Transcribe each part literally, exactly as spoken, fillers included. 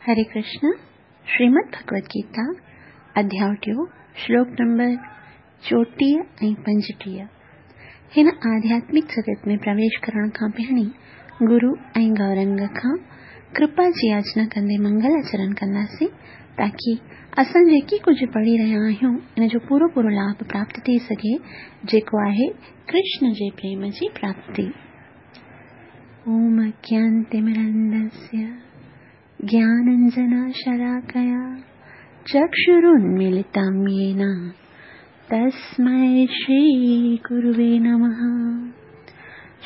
हरे कृष्ण। श्रीमद् भगवद गीता अध्याय टियों, श्लोक नंबर चोटीह ऐं पंजटीह। हिन आध्यात्मिक जगत में प्रवेश करण खां पहिरीं गुरु ऐं गौरंग खां कृपा जी याचना कंदे मंगल आचरण कंदासीं, ताकी असां जेकी कुझु पढ़ी रहिया आहियूं इन जो पूरो पूरो लाभ प्राप्त थी सघे, जेको आहे कृष्ण जे प्रेम जी प्राप्ति। ओम अज्ञानतिमिरन्धस्य ज्ञानाञ्जनशलाकया चक्षुरुन्मीलितं येन तस्मै श्रीगुरुवे नमः।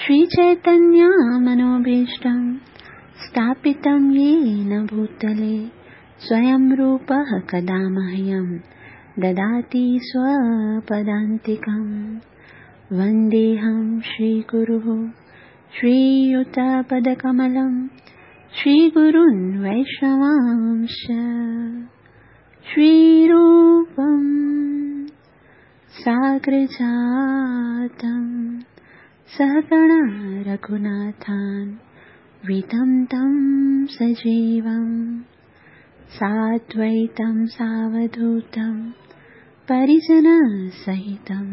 श्रीचैतन्यमनोभीष्टं स्थापितं येन भूतले स्वयं रूपः कदा मह्यं ददाति स्वपदान्तिकं। वन्देऽहं श्रीगुरुः श्रीयुतपदकमलं श्रीगुरून् वैष्णवांश्च। श्रीरूपं साग्रजातं सहगण रघुनाथान् वितं तं सजीवं साद्वैतं सावधूतं परिजनसहितं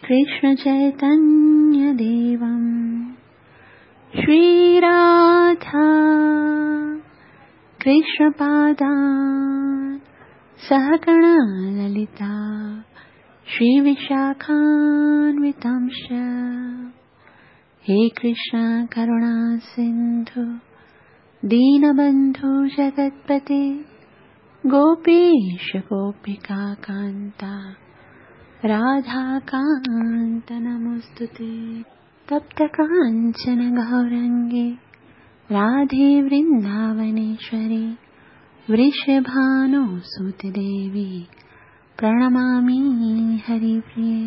कृष्णचैतन्यदेवं। श्रीराधा कृष्णपादान् सहगण ललिता श्रीविशाखान्वितांश्च। हे कृष्ण करुणा सिन्धु दीनबन्धु जगत्पते गोपीश गोपिका कान्ता राधाकान्त नमोऽस्तुते। तप्त काञ्चन गौरङ्गे राधे वृन्दावनेश्वरी वृषभानुसुते देवी प्रणमामि हरिप्रिये।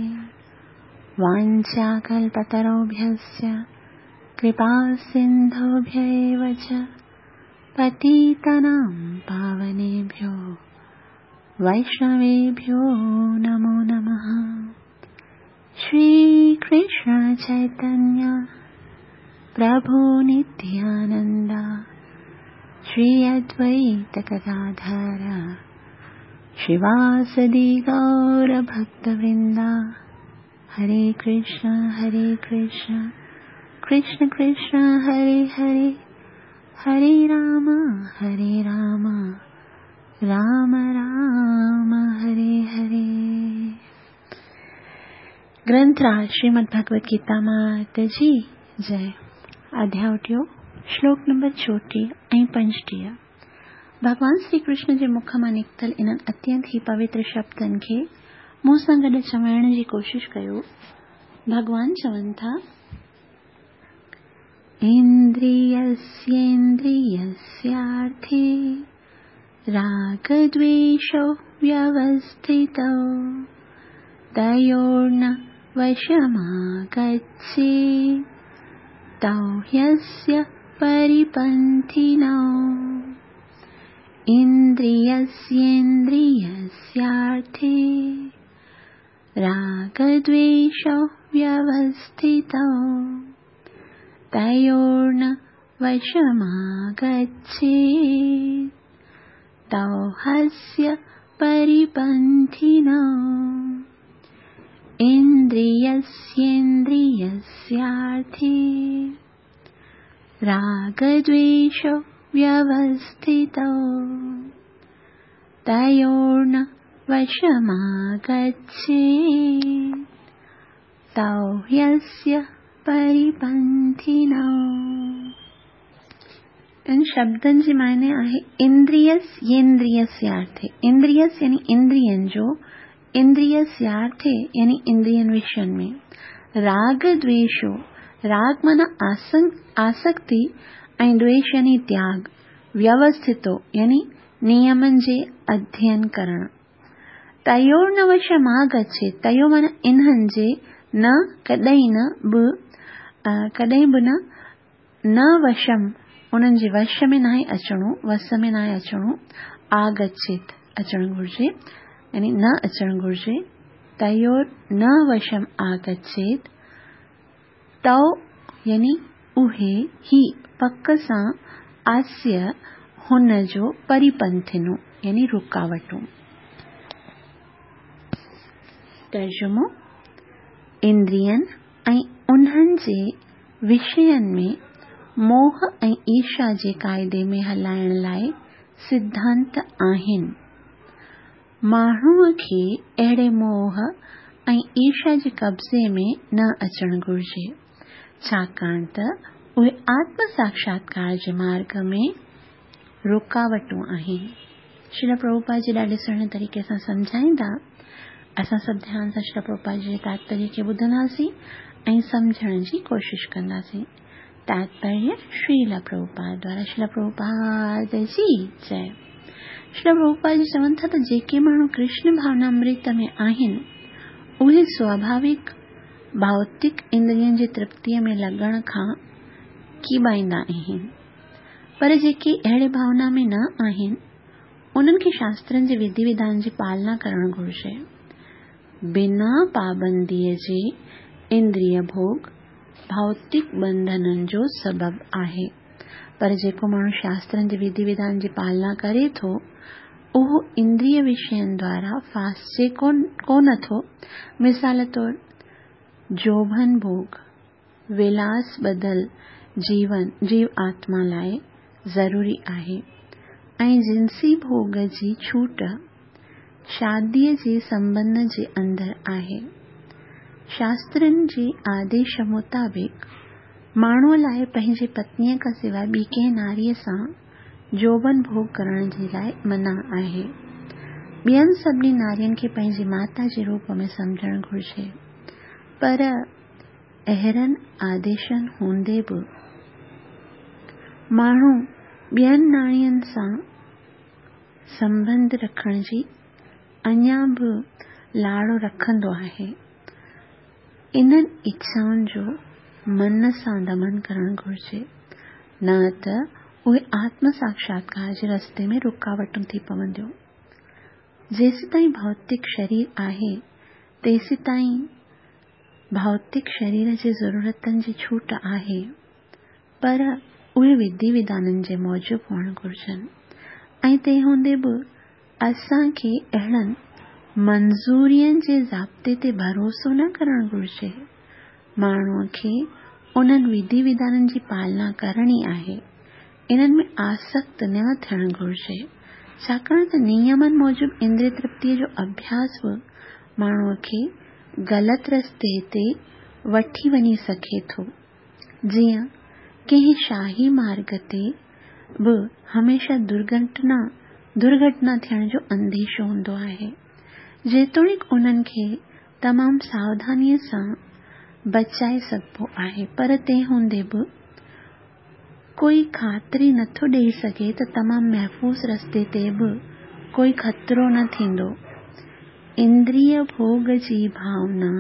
वाञ्छाकल्पतरुभ्यश्च कृपा सिन्धुभ्य एव च पतितानां पावनेभ्यो वैष्णवेभ्यो नमो नमः। श्री कृष्ण चैतन्य प्रभु नित्यानंद श्री अद्वैत गदाधर श्रीवासदि गौर भक्तवृंदा। हरे कृष्ण हरे कृष्ण कृष्ण कृष्ण हरे हरे, हरे राम हरे राम राम राम हरे हरे। ग्रंथराज श्रीमद् भगवद गीता मात जी जय। अध्याय टियों, श्लोक नंबर चोटीह ऐं पंजटीह। भॻवान श्री कृष्ण जे मुख मां निकितल इन्हनि अत्यंत ई पवित्र शब्दनि खे मूं सां गॾु चवाइण जी कोशिश कयो। भॻवान चवनि था, इन्द्रियस्येन्द्रियस्यार्थे रागद्वेषौ व्यवस्थितौ तयोर्न वशमागच्छेत् तौ ह्यस्य परिपन्थिनौ। इन्द्रियस्येन्द्रियस्यार्थे रागद्वेषौ व्यवस्थितौ तयोर्न वशमागच्छेत् तौ ह्यस्य परिपन्थिनौ। इन्द्रियस्येन्द्रियस्यार्थे रागद्वेषौ व्यवस्थितौ तयोर्न वशमागच्छेत् तौ ह्यस्य परिपन्थिनौ। इन शब्दनि जी मायने आहे इंद्रियस्येन्द्रियस्यार्थे। इंद्रियस यानी इंद्रियनि जो, इंद्रियस्यार्थे यानी इंद्रियनि विषयनि में। राग द्वेषो, राग माना आसक्ति ऐं द्वेष यानी त्याग, व्यवस्थितो यानी नियमनि जे अध्ययन करण। तयोर न वशमागच्छेत्, तयो माना इन्हनि जे, न कॾहिं न, बि कॾहिं बि न, न वशम उन्हनि जे वश में नाहे अचिणो, वस में नाहे अचिणो, आगच्छेत् अचणु घुर्जे यानी न अचणु घुर्जे। तयोर न वशम आगच्छेत् तौ यानी उहे ही पक सां आस्य हुन जो परिपंथिनूं यानी रुकावटूं। तर्जुमो: इंद्रियनि ऐं उन्हनि जे विषयनि में मोह ऐं ईर्ष्या जे क़ाइदे में हलाइण लाइ सिद्धांत आहिनि। माण्हूअ खे अहिड़े मोह ऐं ईर्ष्या जे कब्ज़े में न अचणु घुरिजे, छाकाणि त उहे आत्म साक्षात्कार जे मार्ग में रुकावटूं आहिनि। श्रील प्रभुपाद जी ॾाढे सुहिणे तरीक़े सां सम्झाईंदा। असां सभु ध्यान सां श्रील प्रभुपाद जी जे तात्पर्य खे ॿुधंदासीं ऐं सम्झण जी कोशिशि कंदासीं। तात्पर्य श्रील प्रभुपाद द्वारा। श्रील प्रभुपाद जी जय। श्रील प्रभुपाद जी चवनि था त जेके माण्हू कृष्ण भावनामृत में आहिनि उहे स्वाभाविक भौतिक इंद्रियनि जी तृप्तीअ में लॻण खां कीबाईंदा आहिनि, पर जेके अहिड़े भावना में न आहिनि उन्हनि खे शास्त्रनि जे विधि विधान जी पालना करणु घुरिजे। बिना पाबंदीअ जे इंद्रिय भोग भौतिक बंधननि जो सबबु आहे, पर जेको माण्हू शास्त्रनि जे विधि विधान जी पालना करे थो उहो इंद्रिय विषयनि द्वारा फासिजे कोन थो। मिसाल तौरु जोभन भोग विलास बदल जीवन जीव आत्मा लाइ ज़रूरी आहे ऐं जिंसी भोग जी छूट शादीअ जे संबंध जे अंदरि आहे। शास्त्रनि जे आदेश मुताबिक़ माण्हूअ लाइ पंहिंजी पत्नीअ खां सवाइ ॿी कंहिं नारीअ सां जोबन भोग करण जे लाइ मना आहे। ॿियनि सभिनी नारियुनि खे पंहिंजी माता जे रूप में सम्झणु घुरिजे, पर अहिड़नि आदेशनि हूंदे बि माण्हू ॿियनि नारियुनि सां संबंध रखण जी अञा बि लाड़ो रखंदो आहे। इन्हनि इच्छाउनि जो मन सां दमन करणु घुरिजे, न त उहे आत्म साक्षात्कार जे रस्ते में रुकावटूं थी पवंदियूं। जेसीं ताईं भौतिक शरीर आहे तेसीं ताईं भौतिक शरीर जे ज़रूरतनि जी छूट आहे, पर उहे विधि विधाननि जे मूजिबि हुअणु घुरिजनि ऐं तंहिं हूंदे बि असांखे अहिड़नि मंज़ूरियुनि जे ज़ाब्ते ते भरोसो न करणु घुरिजे। माण्हूअ खे उन्हनि विधि विधाननि जी पालना करणी आहे, इन्हनि में आसक्त न थियणु घुरिजे, छाकाणि त नियमनि मूजिबि इंद्रिय तृप्तीअ जो अभ्यास बि माण्हूअ खे ग़लति रस्ते ते वठी वञी सघे थो। जीअं कंहिं शाही मार्ग ते बि हमेशह दुर्घटना दुर्घटना थियण जो अंदेशो हूंदो आहे, जेतोणीकि उन्हनि खे तमामु सावधानीअ सां बचाए सघिबो आहे, पर तंहिं हूंदे बि कोई ख़ातिरी नथो ॾेई सघे त तमामु महफ़ूज़ रस्ते ते बि कोई ख़तरो न थींदो। इंद्रिय भोग जी भावना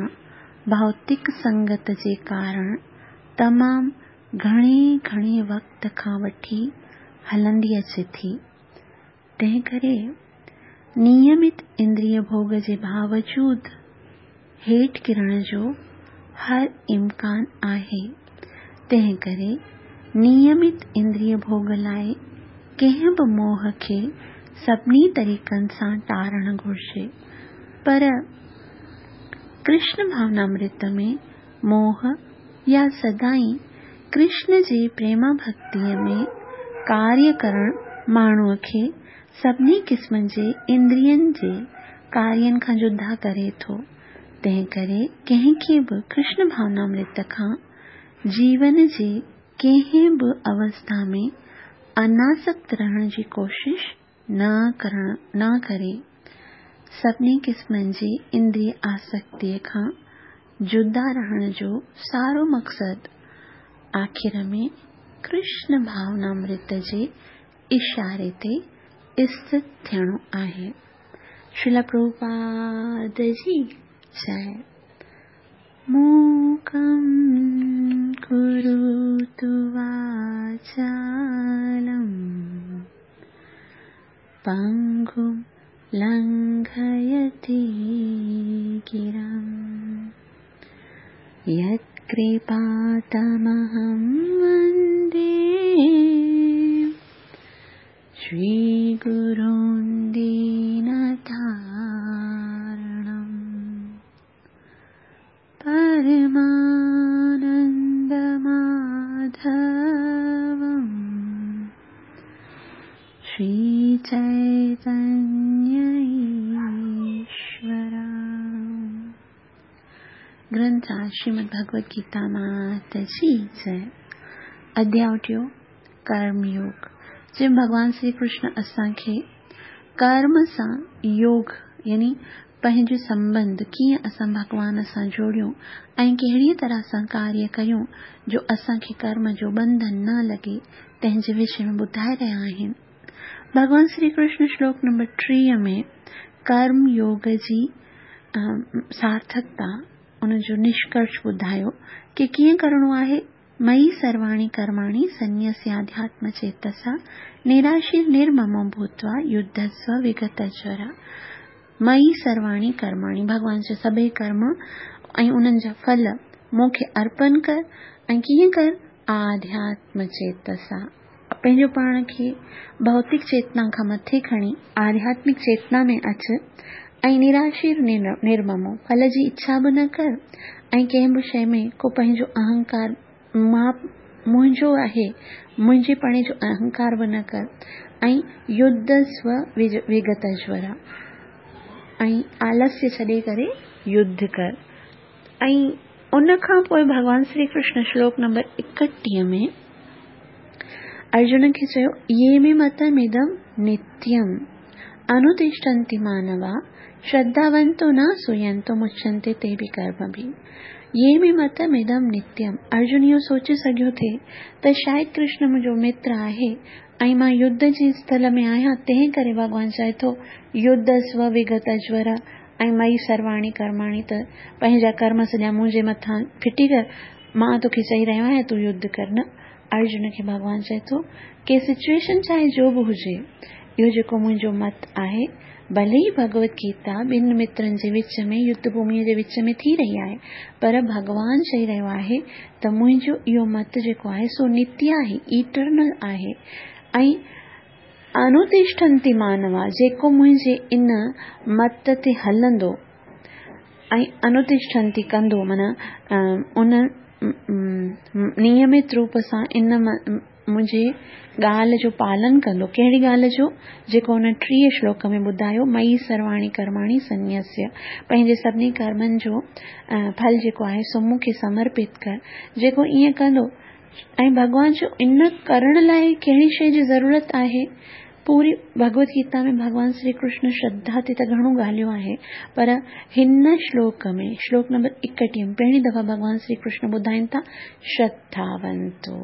भौतिक संगत जे कारण तमामु घणे घणे वक़्त खां वठी हलंदी अचे थी, तंहिंकरे नियमित इंद्रिय भोग जे बावजूद हेठि किरण जो हर इम्कान आहे। तंहिंकरे नियमित इंद्रिय भोग लाइ कंहिं बि मोह खे सभिनी तरीक़नि सां टारणु घुरिजे, पर कृष्ण भावनामृत में मोह या सदाईं कृष्ण जे प्रेमा भक्तीअ में कार्य करणु माण्हूअ खे सभिनी क़िस्मनि जे इंद्रियनि जे कार्यनि खां जुदा करे थो। तंहिंकरे कंहिंखे बि कृष्ण भावनामृत खां जीवन जे कंहिं बि अवस्था में अनासक्त रहण जी कोशिश न करण न करे। सभिनी क़िस्मनि जे इंद्रिय आसक्तीअ खां जुदा रहण जो सारो मक़सदु आख़िर में कृष्ण भावनामृत जे इशारे ते स्थित थियणो आहे। श्रील प्रभुपाद जी जय। मूकं करोतु वाचालं पंगुं लंघयति गिरिं यत्कृपातमहं वन्दे श्रीगुरुं दीनतारणं परमानन्दमाधवं श्रीचैतन्य ईश्वरम्। ग्रंथ श्रीमद् भगवद गीता मात जी जय। अध्याय टियों कर्म योग, जंहिं भॻवान श्री कृष्ण असांखे कर्म सां योग यानी पंहिंजो संबंध कीअं असां भॻवान सां जोड़ियूं ऐं कहिड़ीअ तरह सां कार्य कयूं जो असांखे कर्म जो बंधन न लॻे, तंहिंजे विषय में ॿुधाए रहिया आहिनि। भॻवान श्री कृष्ण श्लोक नंबर टीह में कर्म योग जी सार्थकता, उनजो निष्कर्ष ॿुधायो की कीअं करिणो आहे। मयि सर्वाणि कर्माणि संन्यस्याध्यात्म चेतसा निराशीर निर्ममो भूत्वा युद्धस्व विगतज्वरा। मयि सर्वाणि कर्माणि, भॻवान जा सभई कर्म ऐं उन्हनि जा फल मूंखे अर्पण कर। ऐं कीअं कर? आध्यात्म चेतसा, पंहिंजो पाण खे भौतिक चेतना खां मथे खणी आध्यात्मिक चेतना में अच ऐं निराशीर निर्ममो, फल जी इच्छा बि न कर ऐं कंहिं बि शइ में को पंहिंजो अहंकार, मां मुंहिंजो आहे, मुंहिंजे पणे जो अहंकार बि न कर। ऐं युद्धस्व विगतज्वरा, ऐं आलस्य छॾे करे युद्ध कर। ऐं उन खां पोइ भॻवान श्री कृष्ण श्लोक नंबर एकटीह में अर्जुन खे चयो, ये मे मतमिदं नित्यं अनुतिष्ठन्ति मानवा श्रद्धावन्तो न सूयन्तो मुच्यन्ते ते बि कर्मभिः। ये मे मतमिदं नित्यं, अर्जुन इहो सोचे सघियो थे त शायदि कृष्ण मुंहिंजो मित्र आहे ऐं मां युद्ध जे स्थल में आहियां, तंहिं करे भॻवान चए थो युद्धस्व विगतज्वर ऐं मयि सर्वाणि कर्माणि, त पंहिंजा कर्म सॼा मुंहिंजे मथां फिटी कर, मां तोखे चई रहियो आहियां तूं युद्ध कर। न, अर्जुन खे भॻवान चए थो की सिचुएशन चाहे जो बि हुजे, इहो जेको मुंहिंजो मत आहे, भले ई भगवत गीता ॿिनि मित्रनि जे विच में युद्ध भूमीअ जे विच में थी रही आहे, पर भॻवान चई रहियो आहे त मुंहिंजो इहो मत जेको आहे सो नित्य आहे, इटर्नल आहे। ऐं अनुतिष्ठन्ति मानवा, जेको मुंहिंजे इन मत ते हलंदो ऐं अनुतिष्ठन्ति कंदो, माना उन नियमित रूप सां इन मुंहिंजे ॻाल्हि जो पालन कंदो। कहिड़ी ॻाल्हि जो? जेको हुन टीह श्लोक में ॿुधायो, मयि सर्वाणि कर्माणि संन्यस्य, पंहिंजे सभिनी कर्मनि जो फल जेको आहे सो मूंखे समर्पित कर। जेको ईअं कंदो, ऐं भॻवान जो इन करण लाइ कहिड़ी शइ जी ज़रूरत आहे? पूरी भगवत गीता में भॻवान श्री कृष्ण श्रद्धा ते त घणो ॻाल्हियो आहे, पर हिन श्लोक में, श्लोक नंबर एकटीह में पहिरीं दफ़ा भॻवान श्री कृष्ण ॿुधाइनि था श्रद्धावंतो,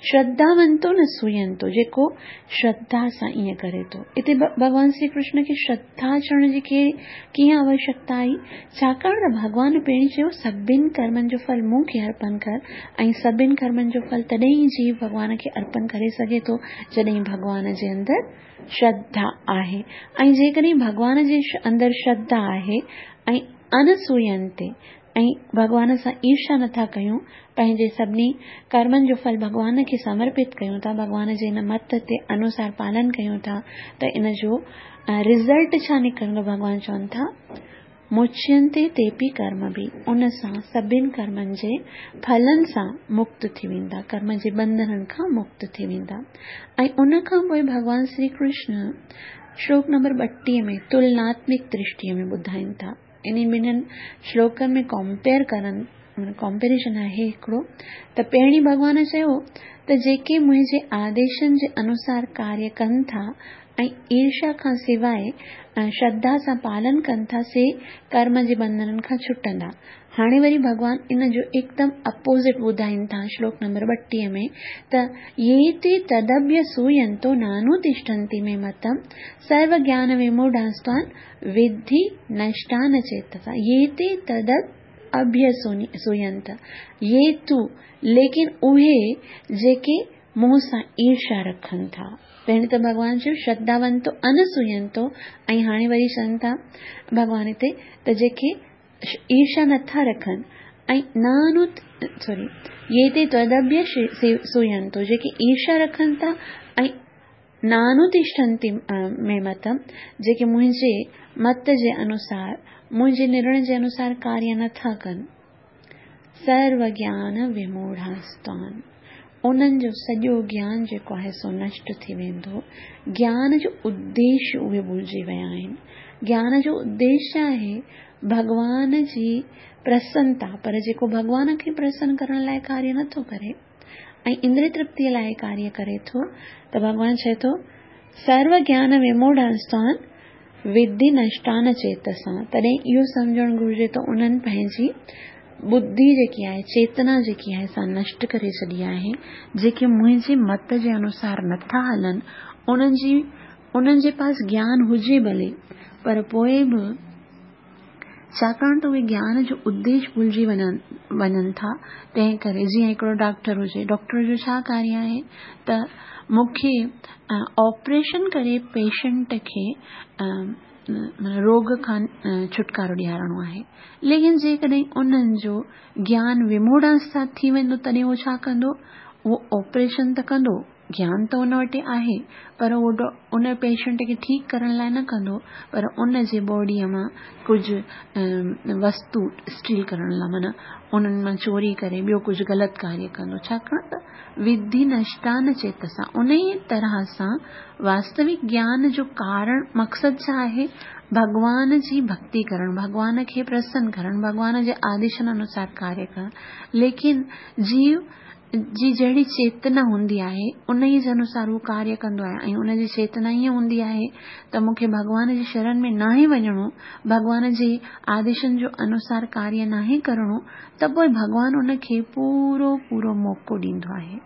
श्रद्धावंतो न सूयंतो, जेको श्रद्धा सां ईअं करे थो। हिते भॻवान श्री कृष्ण खे श्रद्धा चवण जी कीअं आवश्यकता आई? छाकाणि त भॻवान पहिरीं चयो सभिनी कर्मनि जो फल मूंखे अर्पण कर, ऐं सभिनी कर्मनि जो फल तॾहिं ई जीव भॻवान खे अर्पण करे सघे थो जॾहिं भॻवान जे अंदरि श्रद्धा आहे। ऐं जेकॾहिं भॻवान जे अंदरि श्रद्धा आहे ऐं अनसूयंते, ऐं भॻवान सां ईर्ष्या नथा कयूं, पंहिंजे सभिनी कर्मनि जो फल भॻवान खे समर्पित कयूं था, भॻवान जे हिन मत ते अनुसार पालन कयूं था, त इन जो रिज़ल्ट छा निकिरंदो? भॻवान चवनि था मुच्यन्ते तेपि कर्मभिः, उन सां सभिनी कर्मनि जे फलनि सां मुक्त थी वेंदा, कर्म जे बंधननि खां मुक्त थी वेंदा। ऐं उन खां पोइ भॻवान श्री कृष्ण श्लोक नंबर ॿटीह में तुलनात्मिक दृष्टीअ में ॿुधाइनि था। इन ॿिन्हिनि श्लोकनि में कंपेयर करनि, कंपेरिजन आहे हिकिड़ो। त पहिरीं भॻवान चयो त जेके मुंहिंजे आदेशनि जे अनुसार कार्य कनि था ऐं ईर्ष्या खां सवाइ श्रद्धा सां पालन कनि था, से कर्म जे बंधननि खां छुटंदा। हाणे वरी भॻवान इन जो एकदम अपोज़िट ॿुधाइनि था श्लोक नंबर ॿटीह में त ये ते तदभ्यसूयन्तो नानुतिष्ठन्ति मे मतम सर्व ज्ञान विमूढांस्त्वान् विद्धि नष्टान चेतसा। ये ते तद अभ्यसूयन्त, ये तू, लेकिन उहे जेके मूं सां ईर्ष्या रखनि था। पहिरीं त भॻवान चयो श्रद्धावंतो अनसूयंतो, ऐं हाणे वरी चवनि था भॻवान हिते त जेके ईर्ष्या नथा रखनि ऐं नानु सॉरी ये ते त्वदभ्य सूयंतो, जेके ईर्ष्या रखनि था ऐं नानुतिष्ठन्ति मे मतम, जेके मुंहिंजे मत जे अनुसार, मुंहिंजे निर्णय जे अनुसार कार्य नथा कनि, सर्व ज्ञान विमूढ़ास्तान, उन्हनि जो सॼो ज्ञान जेको आहे सो नष्ट थी वेंदो। ज्ञान जो उद्देश्य उहे भुलिजी विया आहिनि। ज्ञान जो उद्देश्य आहे भॻवान जी प्रसन्नता, पर जेको भॻवान खे प्रसन्न करण लाइ कार्य नथो करे ऐं इंद्रिय तृप्तीअ लाइ कार्य करे थो, त भॻवान चए थो सर्व ज्ञान विमूढ़ास्तान विद्धि नष्टान चेतसा। तॾहिं इहो सम्झणु घुरिजे त उन्हनि पंहिंजी बुद्धि जेकी आहे, चेतना जेकी आहे सा नष्ट करे छॾी आहे। जेके मुंहिंजे मत जे अनुसार नथा हलनि, उन्हनि जी उन्हनि जे पास ज्ञान हुजे भले, पर पोइ बि छाकाणि त उहे ज्ञान जो उद्देश्य भुलिजी वञनि वञनि था। तंहिं करे जीअं हिकिड़ो डॉक्टर हुजे, डॉक्टर जो छा कार्य आहे त मूंखे ऑपरेशन करे पेशेंट खे रोग खां छुटकारो ॾियारणो आहे। लेकिन जेकॾहिं उन्हनि जो ज्ञान विमूढ़ास्था थी वेंदो, तॾहिं उहो छा कंदो? उहो ऑपरेशन त कंदो, ज्ञान त उन वटि आहे, पर उहो उन पेशेंट खे ठीकु करण लाइ न कंदो, पर उन जे बॉडीअ मां कुझु वस्तु स्टील करण लाइ, माना उन्हनि मां चोरी करे ॿियो कुझु ग़लति कार्य कंदो। छाकाणि त विधि नष्टान चेतसा। उन ई तरह सां वास्तविक ज्ञान जो कारण मक़सदु छा आहे? भॻवान जी भक्ति करणु, भॻवान खे प्रसन्न करणु, भॻवान जे आदेशनि अनुसार कार्य करणु। लेकिन जीव जी जहिड़ी चेतना हूंदी आहे, उन ई जे अनुसार उहो कार्य कंदो आहे। ऐं उनजी चेतना ईअं हूंदी आहे त मूंखे भॻवान जी शरण में नाहे वञिणो, भॻवान जे आदेशनि जो अनुसार कार्य नाहे करिणो, त पोइ भॻवान उनखे पूरो पूरो मौक़ो ॾींदो आहे।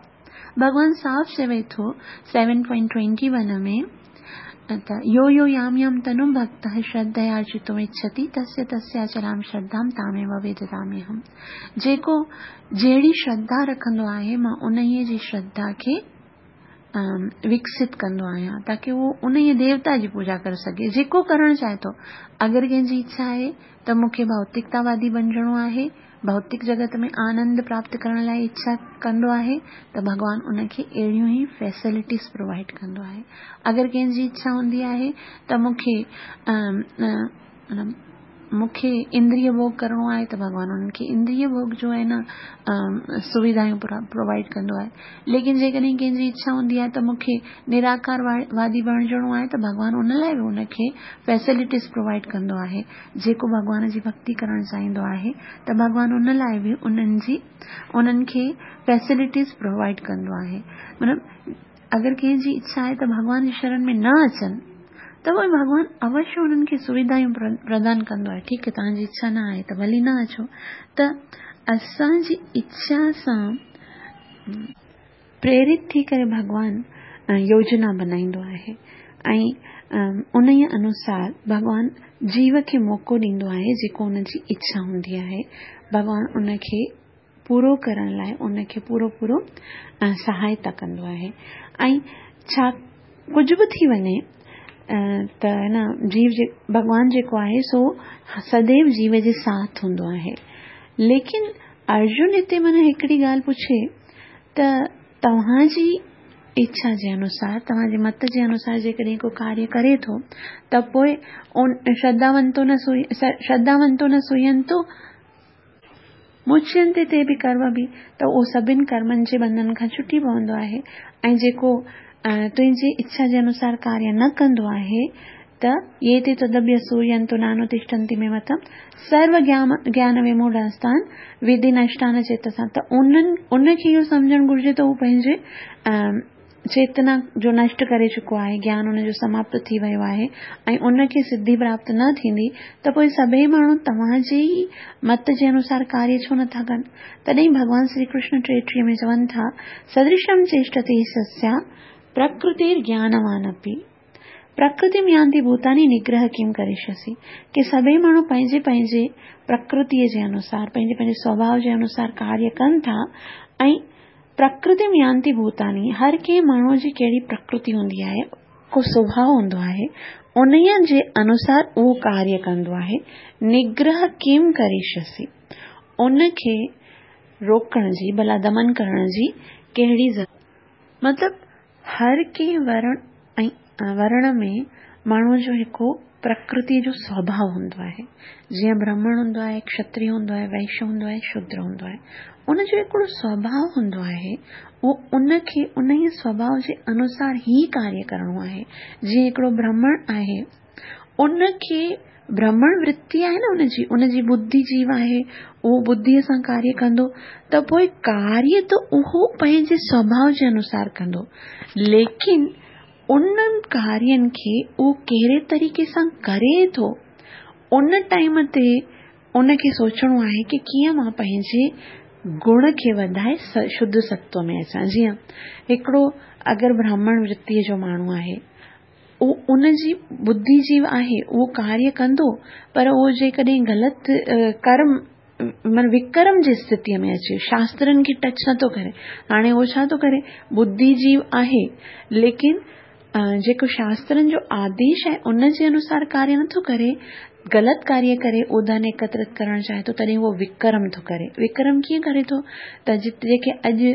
भॻवान साफ़ चवे थो सेवन पॉइंट ट्वेंटी वन में त यो यो याम याम तनु भक्तः श्रद्धया अर्चितुमिच्छति तस्य तस्याचलां श्रद्धां तामेव वेददाम्यहम्। जेको जहिड़ी श्रद्धा रखंदो आहे, मां उन जी श्रद्धा खे विकसित कंदो आहियां, ताकी उहो उन देवता जी पूजा करे सघे जेको करणु चाहे थो। अगरि कंहिंजी इच्छा आहे त मूंखे भौतिकतावादी बणिजणो आहे, भौतिक जगत में आनंद प्राप्त करण लाइ इच्छा कंदो आहे, त भॻवान उनखे अहिड़ियूं ई फैसिलिटीज़ प्रोवाइड कंदो आहे। अगरि कंहिंजी इच्छा हूंदी आहे त मूंखे मूंखे इंद्रिय भोग करिणो आहे, त भॻवान उन्हनि खे इंद्रिय भोग जो आहे न सुविधायूं प्रोवाइड कंदो आहे। लेकिन जेकॾहिं कंहिंजी इच्छा हूंदी आहे त मूंखे निराकारवादी बणिजणो आहे, त भॻवान उन लाइ बि उनखे फैसिलिटीज़ प्रोवाइड कंदो आहे। जेको भॻवान जी भक्ति करणु चाहींदो आहे, त भॻवान उन लाइ बि उन्हनि जी उन्हनि खे फैसिलिटीज़ प्रोवाइड कंदो आहे। मतिलबु अगरि कंहिंजी इच्छा आहे त भॻवान जी शरण में न अचनि, त पोइ भॻवान अवश्य उन्हनि खे सुविधायूं प्रदान कंदो आहे। ठीकु आहे, तव्हांजी इच्छा न आहे त भली न अचो। त असांजी इच्छा सां प्रेरित थी करे भॻवान योजना बनाईंदो आहे ऐं उन ई अनुसार भॻवान जीव खे मौक़ो ॾींदो आहे। जेको उनजी इच्छा हूंदी आहे, भॻवान उनखे पूरो करण लाइ उनखे पूरो पूरो सहायता कंदो आहे। ऐं छा कुझु बि थी वञे त न जीव जे भॻवान जेको आहे सो सदैव जीव जे साथ हूंदो आहे। लेकिन अर्जुन हिते माना हिकिड़ी ॻाल्हि पुछे त तव्हांजी इच्छा जे अनुसार, तव्हांजे मत जे अनुसार जेकॾहिं को कार्य करे थो, त पोइ श्रद्धावंतो न श्रद्धावंतो न सुयंतो मुच्यन्ते ते बि कर्म बि, त उहो सभिनि कर्मनि जे बंधन खां छुटी पवंदो आहे। ऐं जेको तुंहिंजी इच्छा जे अनुसार कार्य न कंदो आहे, त ये ते तदभ्यसूयन्तो नानुतिष्ठन्ति मे मतम सर्व ज्ञान ज्ञान विमूढ़ास्तान विधि नष्टान चेतसा। त उन्हनि उनखे इहो सम्झणु घुरिजे त हू पंहिंजे चेतना जो नष्ट करे चुको आहे, ज्ञान उनजो समाप्त थी वियो आहे ऐं उनखे सिद्धि प्राप्त न थींदी, त पोइ सभई माण्हू तव्हांजे ई मत जे अनुसार कार्य छो नथा कनि? तॾहिं भॻवान श्री कृष्ण टेटीह में चवनि था, सदृशम चेष्टते सस्या प्रकृतिर ज्ञानवान अपि प्रकृति यान्ति भूतानि निग्रह किम करिष्यसि। की सभई माण्हू पंहिंजे पंहिंजे प्रकृतीअ जे अनुसार, पंहिंजे पंहिंजे स्वभाव जे अनुसार कार्य कनि था। ऐं प्रकृति यान्ति भूतानि, हर कंहिं माण्हूअ जी कहिड़ी प्रकृति हूंदी आहे, को स्वभाव हूंदो आहे, उन जे अनुसार उहो कार्य कंदो आहे। निग्रह किम करिष्यसि, उनखे रोकण जी, भला दमन करण जी कहिड़ी ज़रूरत? मतिलबु हर कंहिं वर्ण, ऐं वर्ण में माण्हूअ जो हिकु प्रकृति जो स्वभाव हूंदो आहे। जीअं ब्राह्मण हूंदो आहे, क्षत्रिय हूंदो आहे, वैश्य हूंदो आहे, शूद्र हूंदो आहे, उनजो हिकिड़ो स्वभाव हूंदो आहे, उहो उनखे उन ई स्वभाव जे अनुसार ई कार्य करिणो आहे। जीअं हिकिड़ो ब्राह्मण आहे, उनखे ब्राह्मण वृत्ति आहे न उनजी, उनजी बुद्धि जीव आहे, उहो बुद्धिअ सां कार्य कंदो त पोइ कार्य त उहो पंहिंजे स्वभाव जे अनुसार कंदो, लेकिन उन्हनि कार्यनि खे उहो कहिड़े तरीक़े सां करे थो उन टाइम ते उनखे सोचणो आहे की कीअं मां पंहिंजे गुण खे वधाए शुद्ध सत्व में अचां। जीअं हिकिड़ो अगरि ब्राह्मण वृत्तीअ जो माण्हू आहे, उहो उनजी बुद्धि जीव आहे, उहो कार्य कंदो, पर उहो जेकॾहिं ग़लति कर्म माना विकर्म जी स्थितीअ में अचे, शास्त्रनि खे टच नथो करे, हाणे उहो छा थो करे, बुद्धि जीव आहे लेकिन जेको शास्त्रनि जो आदेश आहे उन जे अनुसार कार्य नथो करे, ग़लति कार्य करे, उहो धन एकत्रित करणु चाहे थो, तॾहिं उहो विकर्म थो करे। विकर्म कीअं करे थो त जेके अॼु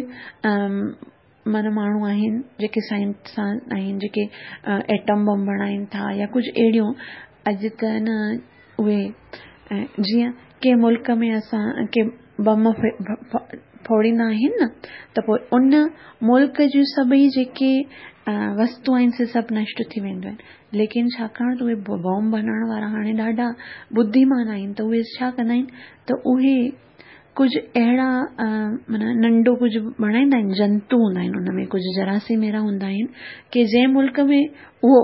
माना माण्हू आहिनि जेके साइंस आहिनि, जेके एटम बम बणाइनि था या कुझु अहिड़ियूं अॼु त न उहे जीअं कंहिं मुल्क में असां के बम फोड़ींदा आहिनि न त पोइ उन मुल्क जूं सभई जेके वस्तु आहिनि से सभु नष्ट थी वेंदियूं आहिनि, लेकिन छाकाणि त उहे बॉम्ब बणाइण वारा हाणे ॾाढा बुद्धिमान आहिनि त उहे छा कंदा आहिनि त उहे कुझु अहिड़ा माना नंढो कुझु बणाईंदा आहिनि, जंतु हूंदा आहिनि उन में, कुझु जरासीम अहिड़ा हूंदा आहिनि की जंहिं मुल्क में उहो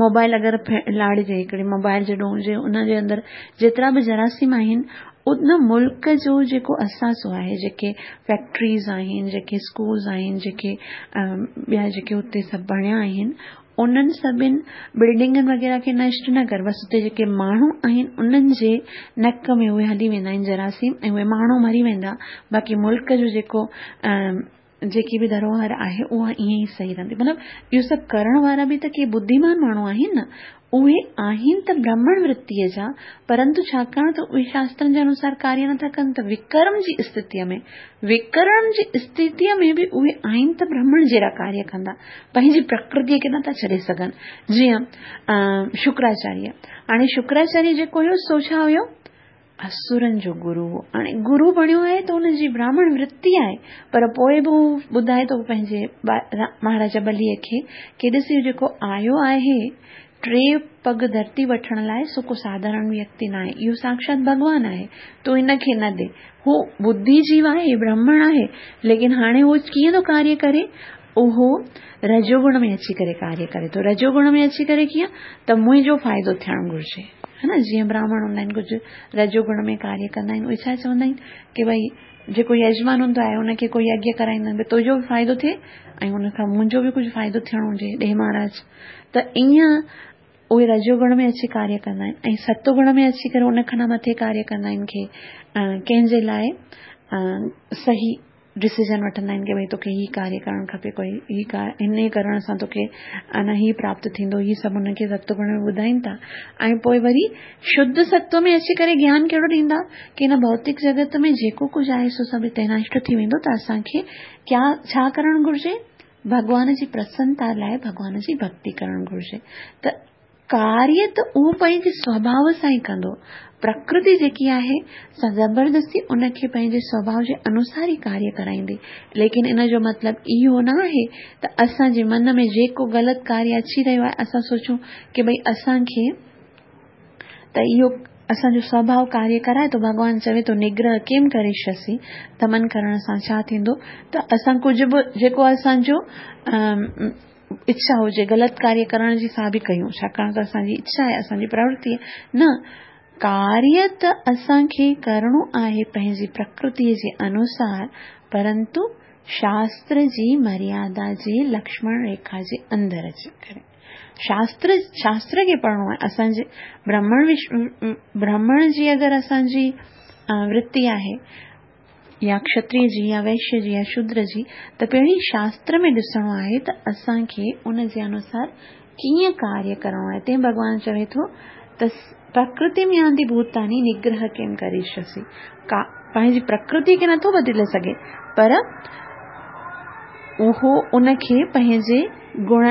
मोबाइल अगरि लाड़िजे, हिकिड़ी मोबाइल जेॾो हुजे उनजे अंदरि जेतिरा बि जरासीम आहिनि उन मुल्क जो जेको असासो आहे, जेके फैक्ट्रीज़ आहिनि, जेके स्कूल्स आहिनि, जेके ॿिया जेके हुते सभु बणिया आहिनि, उन्हनि सभिनि बिल्डिंगनि वग़ैरह खे नष्ट न कर, बसि हुते जेके माण्हू आहिनि उन्हनि जे नक में उहे हली वेंदा आहिनि जरासीम ऐं उहे माण्हू मरी वेंदा, बाक़ी मुल्क जो जेको जेकी बि धरोहर आहे उहा ईअं ई सही रहंदी। मतिलबु इहो सभु करण वारा बि त के बुद्धिमान माण्हू आहिनि न, उहे आहिनि त ब्राह्मण वृत्तीअ जा, परंतु छाकाणि त उहे शास्त्रनि जे अनुसार कार्य नथा कनि त विकर्म जी स्थितीअ में, विकर्म जी स्थितीअ में बि उहे आहिनि त ब्राह्मण जहिड़ा कार्य कंदा, पंहिंजी प्रकृतीअ खे नथा छॾे सघनि। जीअं शुक्राचार्य, हाणे शुक्राचार्य जेको हुयो सो छा हुयो, असुरनि जो गुरू हो। हाणे गुरू बणियो आहे त हुनजी ब्राह्मण वृत्ति आहे, पर पोइ बि हू ॿुधाए थो पंहिंजे महाराजा बलीअ खे की ॾिस इहो जेको आयो आहे टे पग धरती वठण लाइ, सो को साधारण व्यक्ति न आहे, इहो साक्षात भॻवान आहे, तूं हिनखे न ॾे। हू बुद्धि जीव आहे, ब्राह्मण आहे, लेकिन हाणे उहो कीअं थो कार्य करे, उहो रजोगुण में अची करे कार्य करे थो। रजोगुण में अची करे कीअं त मुंहिंजो फ़ाइदो थियणु घुरिजे, है न। जीअं ब्राह्मण हूंदा आहिनि कुझु रजोगुण में कार्य कंदा आहिनि, उहे छा चवंदा आहिनि की भई जेको यजमान हूंदो आहे उनखे कोई यज्ञ कराईंदा आहिनि, भई तुंहिंजो बि फ़ाइदो थिए ऐं हुनखां मुंहिंजो बि कुझु फ़ाइदो थियणो हुजे, ॾे महाराज। त ईअं उहे रजोगुण में अची कार्य कंदा आहिनि ऐं सतोगुण में अची करे उन खां मथे कार्य कंदा आहिनि की कंहिंजे लाइ सही डिसीजन वठंदा आहिनि की भई तोखे हीउ कार्य करणु खपे, कोई हीउ हिन करण सां तोखे अना हीउ प्राप्त थींदो, हीउ सभु हुनखे सतोगुण में ॿुधाइनि था। ऐं पोइ वरी शुद्ध सत्व में अची करे ज्ञान कहिड़ो ॾींदा की हिन भौतिक जगत में जेको कुझु आहे सो सभु हिते नष्ट थी वेंदो, त असांखे क्या छा करणु घुरिजे, भॻवान जी प्रसन्नता लाइ भॻवान जी भक्ति करणु घुरिजे। त कार्य त उहो पंहिंजे स्वभाव सां ई कंदो, प्रकृति जेकी आहे सा ज़बरदस्ती उनखे पंहिंजे स्वभाव जे अनुसार ई कार्य कराईंदी, लेकिन इन जो मतिलबु इहो न आहे त असांजे मन में जेको ग़लति कार्य अची रहियो आहे असां सोचूं की भई असांखे त इहो असांजो स्वभाव कार्य कराए थो, भॻवान चवे थो निग्रह केम करिष्यसि, दमन करण सां छा थींदो त असां कुझु बि जेको असांजो इच्छा हुजे ग़लति कार्य करण जी सा बि कयूं, छाकाणि त असांजी इच्छा आहे, असांजी प्रवृत्ति आहे न। कार्य त असांखे करिणो आहे पंहिंजी प्रकृतीअ जे अनुसार, परंतु शास्त्र जी मर्यादा जे लक्ष्मण रेखा जे अंदरि अची करे शास्त्र शास्त्र खे पढ़िणो आहे। असांजे ब्राह्मण ब्राह्मण जी अगरि असांजी वृत्ति आहे या क्षत्रिय जी या वैश्य जी या शूद्र जी, त पहिरीं शास्त्र में ॾिसणो आहे त असांखे उन जे अनुसार कीअं कार्य करिणो आहे। तंहिं भॻवान चवे थो त प्रकृति में आंदी भूतानी निग्रह केम करिष्यसि, का पंहिंजी प्रकृति खे नथो बदिले सघे, पर उहो उनखे पंहिंजे گڻ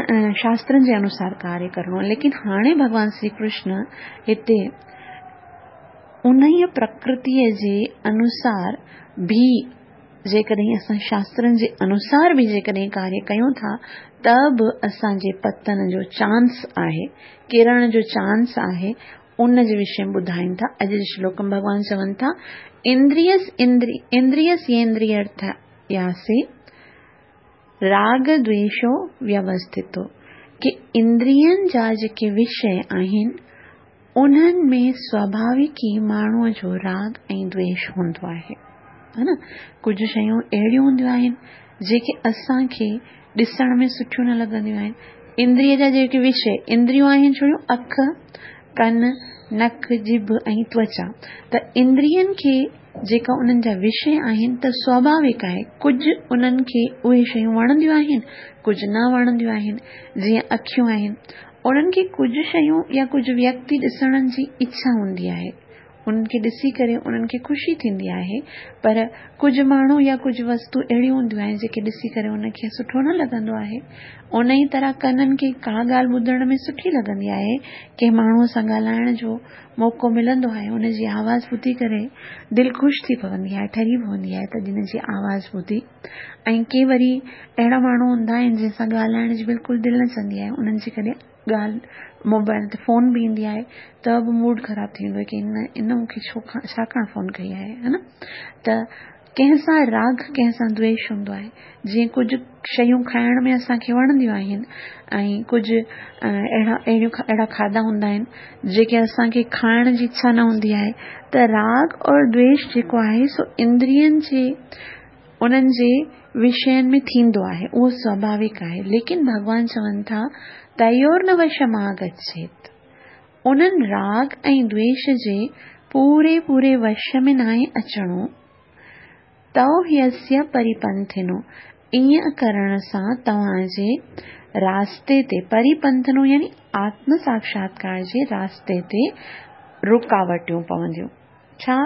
شاسترن جي انوسار ڪاريه ڪرڻو آهي. ليڪن هاڻي ڀڳوان شري ڪرشن هتي انهيء پرڪرتيء جي انوسار به جيڪڏهن اسان شاسترن جي انوسار به جيڪڏهن ڪاريه ڪيون ٿا ته به اسان جي پتن جو چانس آهي، ڪرڻ جو چانس آهي، ان جي وشي ۾ ٻڌائين ٿا. اڄ جي شلوڪ ۾ ڀڳوان چون ٿا، اندريس اندري اندريسيندريارٿياسي راڳ دويشو ويوسٿتو، ڪي اندرين جا جيڪي وشي آهن انهن ۾ سواڀاوڪ ئي ماڻهوء جو راڳ ۽ دويش هوندو آهي. ها نه، ڪجهه شيون اهڙيون هونديون آهن جيڪي اسان کي ڏسڻ ۾ سٺيون نه لڳنديون آهن. اندريء جا جيڪي وشي، اندريون آهن ڇڙيون اک، ڪن، نڪ، ڄڀ ۽ توچا، ته اندرين کي جيڪا انهن جا وشي آهن ته سواڀاوڪ آهي ڪجهه انهن کي اهي شيون وڻنديون آهن، ڪجهه نه وڻنديون آهن. جيئن اکيون آهن، انهن کي ڪجهه شيون يا ڪجهه ويڪتي ڏسڻ جي اڇا هوندي آهي، انهن کي ڏسي ڪري انهن کي خوشي ٿيندي آهي، پر ڪجهه ماڻهو يا ڪجهه وستو اهڙيون هونديون آهن جيڪي ڏسي ڪري ان کي سٺو نه لڳندو آهي. ان ئي طرح ڪنن کي ڪا ڳالهه ٻڌڻ ۾ سٺي لڳندي آهي، ڪنهن ماڻهوء سان ڳالهائڻ جو موقعو ملندو آهي، ان جي آواز ٻڌي ڪري دل خوش ٿي پوندي آهي، ٺري پوندي آهي ته جن جي آواز ٻڌي. ۽ ڪي وري اهڙا ماڻهو هوندا آهن جن سان ڳالهائڻ جي بلڪل دل نه چوندي آهي، انهن جي ڪڏهن ڳالهه موبائل تي فون به ايندي آهي ته به موڊ خراب ٿي ويندو آهي ڪي ان ان مون کي ڇو ڇاڪاڻ فون ڪئي آهي، ها نه. ته ڪنهن سان راڳ ڪنهن سان دويش هوندو آهي. جيئن ڪجهه شيون کائڻ ۾ اسان کي وڻنديون آهن ۽ ڪجهه اهڙا اهڙيون اهڙا کاڌا هوندا آهن جيڪي اسان کي کائڻ جي اڇا نه هوندي آهي. ته راڳ اور دويش جيڪو آهي سو اندرين جي انهن جي وشين ۾ ٿيندو آهي، اهو سواڀاوڪ آهي. ليڪن ڀڳوان چون ٿا تيور نه وشم آگڇيت، انهن راڳ ۽ دويش جي پوري پوري وش ۾ ناهي اچڻو. تئو هيسيه پريپنٿنو، ائين ڪرڻ سان توهان جي راستي تي، پريپنٿنو يعني آتم ساکشاتڪار جي راستي تي رڪاوٽيون پونديون. ڇا